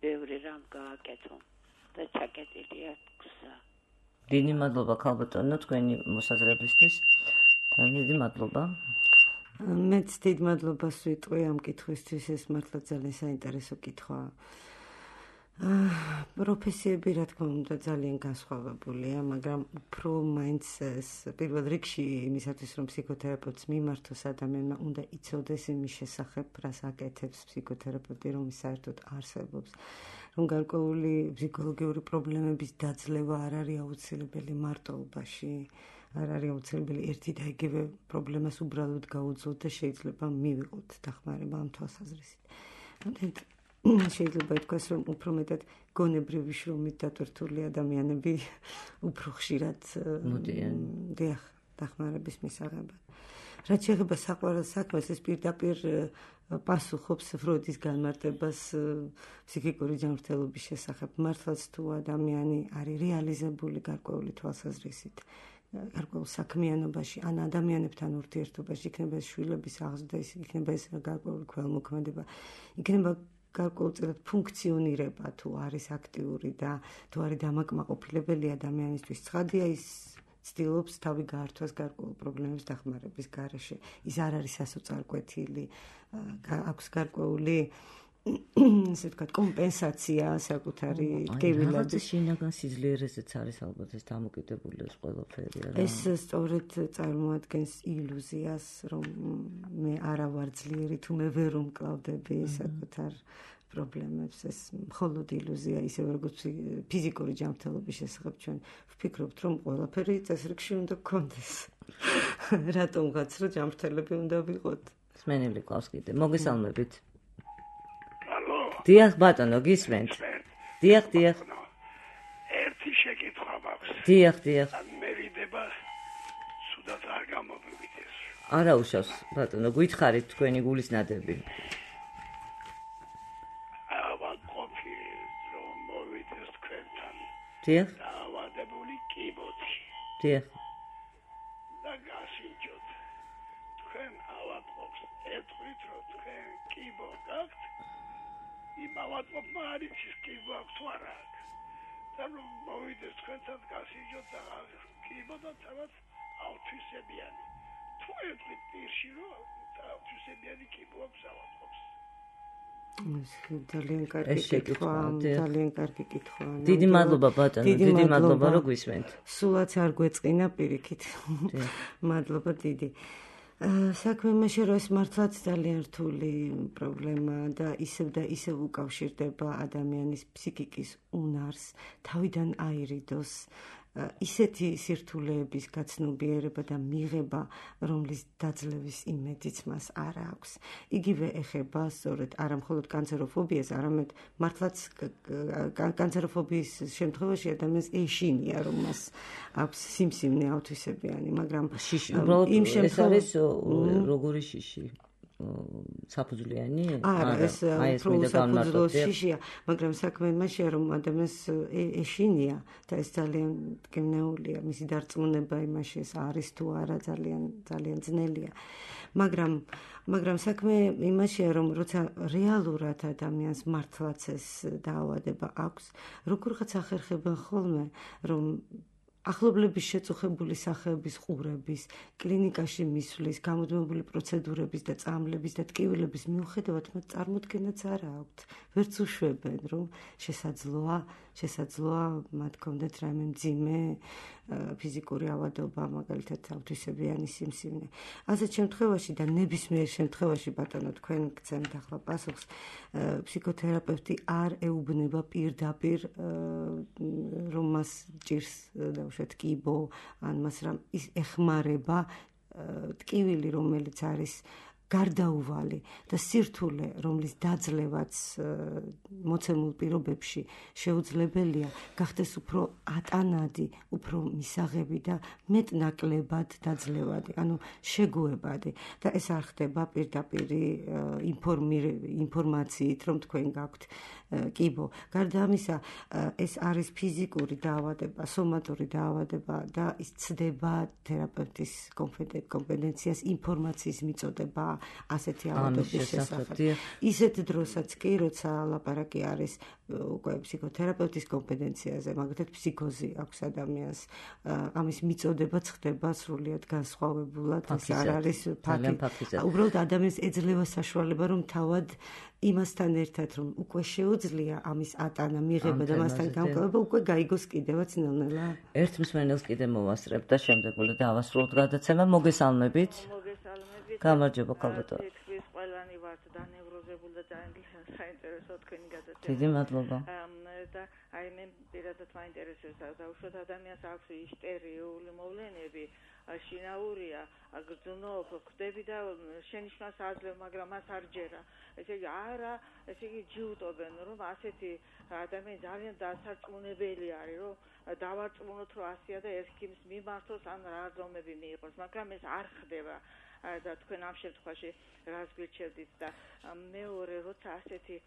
ბევრი რამ გააკეთონ და ჩაკეტილია გზა. დიდი მადლობა ქალბატონო თქვენი მოსაზრებისთვის. დიდი მადლობა. მეც დიდ მადლობას ვიტყვი ამ კითხვისთვის, ეს მართლა ძალიან საინტერესო კითხვაა. პროფესიები რა თქმა უნდა ძალიან განსხვავებულია, მაგრამ უფრო მაინც პირველ რიგში იმისათვის რომ ფსიქოთერაპევტს მიმართოს ადამიანმა უნდა იცოდეს იმის შესახებ, რას აკეთებს ფსიქოთერაპევტი, რომ საერთოდ არსებობს, რომ გარკვეული ფსიქოლოგიური პრობლემების დაძლევა არ არის აუცილებელი მარტოობაში, არ არის აუცილებელი ერთი და იგივე პრობლემას უბრალოდ გაუძლოთ და შეიძლება მივიღოთ დახმარება ამ თვალსაზრისით. შეიძლება ითქვას, რომ უფრო მეტად გონებრივი შრომით დატვირთული ადამიანები უფრო ხშირად მოდიან დახმარების მისაღებად. რაც შეეხება საყვარელ საქმეს, ეს პირდაპირ პასუხობს ფროიდის განმარტებას ფსიქიკური ჯანმრთელობის შესახებ. მართლაც თუ ადამიანი არის რეალიზებული გარკვეული თვალსაზრისით, გარკვეულ საქმიანობაში, ან ადამიანებთან ურთიერთობაში, იქნება ეს შვილების აღზრდა, იქნება ეს გარკვეული ქველმოქმედება, იქნება გარკვეულწილად ფუნქციონირება თუ არის აქტიური და თუ არის დამაკმაყოფილებელი ადამიანისთვის, ცხადია ის ცდილობს თავი გაართვას გარკვეულ პრობლემების დახმარების გარეშე. ის არ არის სასოწარკვეთილი, აქვს გარკვეული ესე ვთქვათ, კომპენსაცია საკუთარი ტკივილად. რაღაც შინაგან სიძლიერეზეც არის ალბათ ეს დამოკიდებული ეს ყველაფერი. ეს სწორედ წარმოადგენს ილუზიას, რომ მე არა ვარ ძლიერი, თუ მე ვერ უმკლავდები საკუთარ პრობლემებს. ეს მხოლოდ ილუზია, ისევე როგორც ფიზიკური ჯანმრთელობის შესახებ ჩვენ ვფიქრობთ, რომ ყველაფერი წესრიგში უნდა გქონდეს. რატომღაც რომ ჯანმრთელები უნდა ვიყოთ. სმენელი ყავს კიდე. მოგესალმებით. დიახ ბატონო, გისმენთ. დიახ, დიახ. ერთი შეკითხვა მაქვს. დიახ, დიახ. მე ვიდება სუდად არ გამომივიდეს. არა უშავს, ბატონო, გითხარით თქვენი გულის ნადები. ავა ყოფილი რომ მოვიდეს თქვენთან. დიახ. დავადებული კიბოთი. დიახ. და გასინჯოთ. თქვენ ავადყოფს ეთქვით რომ თქვენ კიბო გაქვთ. იმ ავადყოფმა არის ის კიბო აქვს თუ არა აქვს. და რომ მოვიდეს თქვენთან გასინჯოთ და კიბო და თავად ავთვისებიანი. თუ ეთქვით პირში რომ ავთვისებიანი კიბო აქვს ავადყოფს. ეს ძალიან კარგი კითხვა, ძალიან კარგი კითხვა. დიდი მადლობა ბატონო, დიდი მადლობა რომ გვისმენთ. სულაც არ გვეწყინა პირიქით. მადლობა დიდი. საქმე იმაში, რომ ეს მართლაც ძალიან რთული პრობლემაა და ისევ და ისევ უკავშირდება ადამიანის ფსიქიკის უნარს, თავიდან აირიდოს, ისეთი სირთულეების გაცნობიერება და მიღება, რომლის დაძლევის იმედიც მას არ აქვს. იგივე ეხება სწორედ არა მხოლოდ კანცეროფობიას, არამედ მართლაც კანცეროფობიის შემთხვევაში ადამიანს ეშინია, რომ მას აქვს სიმსივნე ავთვისებიანი, მაგრამ იმ შემთხვევაში როგორი შიში? საფუძვლიანი? არა, ეს უფრო საფუძვლო შიშია, მაგრამ საქმე იმაშია, რომ ადამიანს ეშინია და ეს ძალიან მტკივნეულია, მისი დარწმუნება იმაში ეს არის თუ არა ძალიან ძალიან ძნელია. მაგრამ მაგრამ საქმე იმაშია, რომ როცა რეალურად ადამიანს მართლაც ეს დაავადება აქვს, როგორღაც ახერხებენ ხოლმე, რომ ახლობლების შეწუხებული სახეების ყურების, კლინიკაში მისვლის, გამუდმებული პროცედურების და წამლების და ტკივილების მიუხედავად მათ წარმოდგენაც არ აქვთ. ვერც უშვებენ, რომ შესაძლოა, შესაძლოა მათ კონდეთ რაიმე მძიმე ფიზიკური ავადობა, მაგალითად ავთვისებიანი სიმსივნე. ასეთ შემთხვევაში და ნებისმიერ შემთხვევაში ბატონო თქვენ გცემთ ახლა პასუხს, ფსიქოთერაპევტი არ ეუბნება პირდაპირ რომ მას ჭირს დავუშვათ კიბო, ან მას რამ ის ეხმარება ტკივილი, რომელიც არის გარდაუვალი და სირთულე, რომლის დაძლევაც მოცემულ პირობებში შეუძლებელია, გახდეს უფრო ატანადი, უფრო მისაღები და მეტნაკლებად დაძლევადი, ანუ შეგუებადი. და ეს არ ხდება პირდაპირი ინფორმაციით, რომ თქვენ გაქვთ კიბო. გარდა ამისა, ეს არის ფიზიკური დაავადება, სომატური დაავადება და ის ცდება თერაპევტის კომპეტენციას ინფორმაციის მიწოდება ასეთი ავადობის შესახებ. ისეთ დროსაც კი, როცა ლაპარაკი არის უკვე ფსიქოთერაპევტის კომპეტენციაზე, მაგალითად ფსიქოზი აქვს ადამიანს, ამის მიწოდებაც ხდება სრულიად განსხვავებულად, ეს არ არის ფაქტი. უბრალოდ ადამიანს ეძლევა საშუალება, რომ თავად იმასთან ერთად, რომ უკვე შეუძლია ამის ატანა, მიღება და მასთან გამკლება, უკვე გაიგოს კიდევაც ნელ-ნელა. ერთ მსმენელს კიდე მოვასწრებ და შემდეგ უნდა დავასრულოთ გადაცემა. მოგესალმებით. გამარჯობა ქალბატონო. თქვის ყველანი ვართ დანევროზებული და ძალიან საინტერესო თქვენი გადაცემა. დიდი მადლობა. და აი მე პირადად მაინტერესებს დაუშვათ ადამიანს აქვს ისტერიული მოვლენები, შინაურია, გრძნობ, ხვდები და შენიშვნას აძლევ, მაგრამ მას არ ჯერა. ესე იგი არა, ესე იგი ჯიუტობენ, რომ ასეთი ადამიანი ძალიან დასარწმუნებელი არის, რომ დავარწმუნოთ, რომ ასია და ერქიმს მიმართოს ან რა ზომები მიიღოს, მაგრამ ეს არ ხდება. და თქვენ ამ შემთხვევაში რას გვირჩევდით და მეორე როცა ასეთი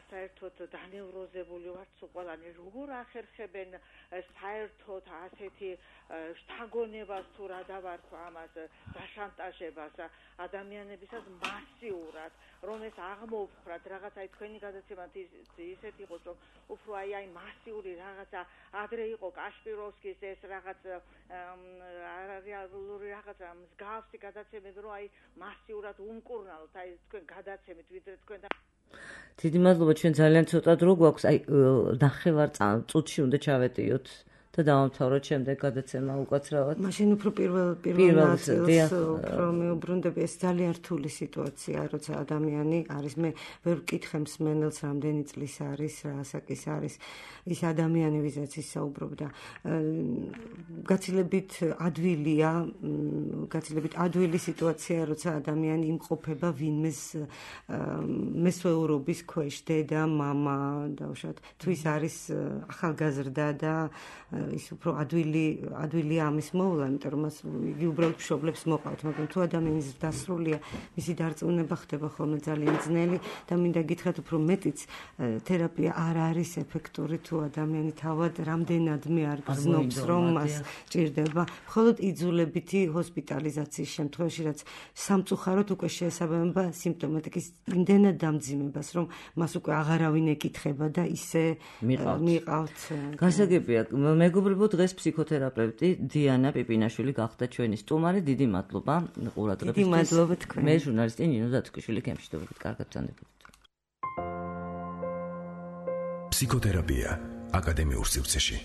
საერთოდ დანევროზებული ვართ ყველანი როგორ ახერხებენ საერთოდ ასეთი შთაგონებას თუ რა დავარქვა ამას დაშანტაჟებას ადამიანებისაც მასიურად რომ ეს აღმოვხრათ რაღაცა თქვენი გადაცემა ისეთ იყოს რომ უფრო აი აი მასიური რაღაცა ადრე იყო კაშპიროვსკის ეს რაღაც რეალური რაღაცა მსგავსი გადაცემები რომ აი მასიურად უმკურნალოთ აი თქვენ გადაცემით ვიდრე თქვენ დიდი მადლობა, ჩვენ ძალიან ცოტა დრო გვაქვს, აი ნახევარ წუთში უნდა ჩავეტიოთ და დავამთავროთ შემდეგ გადაცემა უკაცრავად. მაშინ უფრო პირველ პირველ ნაწილს უფრო მეუბრუნდები, ეს ძალიან რთული სიტუაცია, როცა ადამიანი არის, მე ვერ ვკითხე მსმენელს რამდენი წლის არის, რა ასაკის არის ის ადამიანი, ვისაც ის საუბრობდა. გაცილებით ადვილია, გაცილებით ადვილი სიტუაცია, როცა ადამიანი იმყოფება ვინმეს მესვეურობის ქვეშ, დედა, მამა, დავუშვათ, თუ ის არის ახალგაზრდა და ის უფრო ადვილი ადვილია ამის მოვლა, იმიტომ რომ მას იგი უბრალოდ მშობლებს მოყავთ, მაგრამ თუ ადამიანის დასრულია, მისი დარწმუნება ხდება ხოლმე ძალიან ძნელი და მინდა გითხრათ უფრო მეტიც თერაპია არ არის ეფექტური თუ ადამიანი თავად რამდენადმე არ გრძნობს, რომ მას ჭირდება. მხოლოდ იძულებითი ჰოსპიტალიზაციის შემთხვევაში, რაც სამწუხაროდ უკვე შეესაბამება სიმპტომატიკის იმდენად დამძიმებას, რომ მას უკვე აღარავინ ეკითხება და ისე მიყავთ. გასაგებია, მეგობრებო, დღეს ფსიქოთერაპევტი დიანა პიპინაშვილი გახდა ჩვენი სტუმარი. დიდი მადლობა ყურადღებისთვის. დიდი მადლობა თქვენ. მე ჟურნალისტი ნინო დათუკვიშვილი, გემშვიდობებით, კარგად გრძანდებოდეთ. ფსიქოთერაპია აკადემიურ სივრცეში.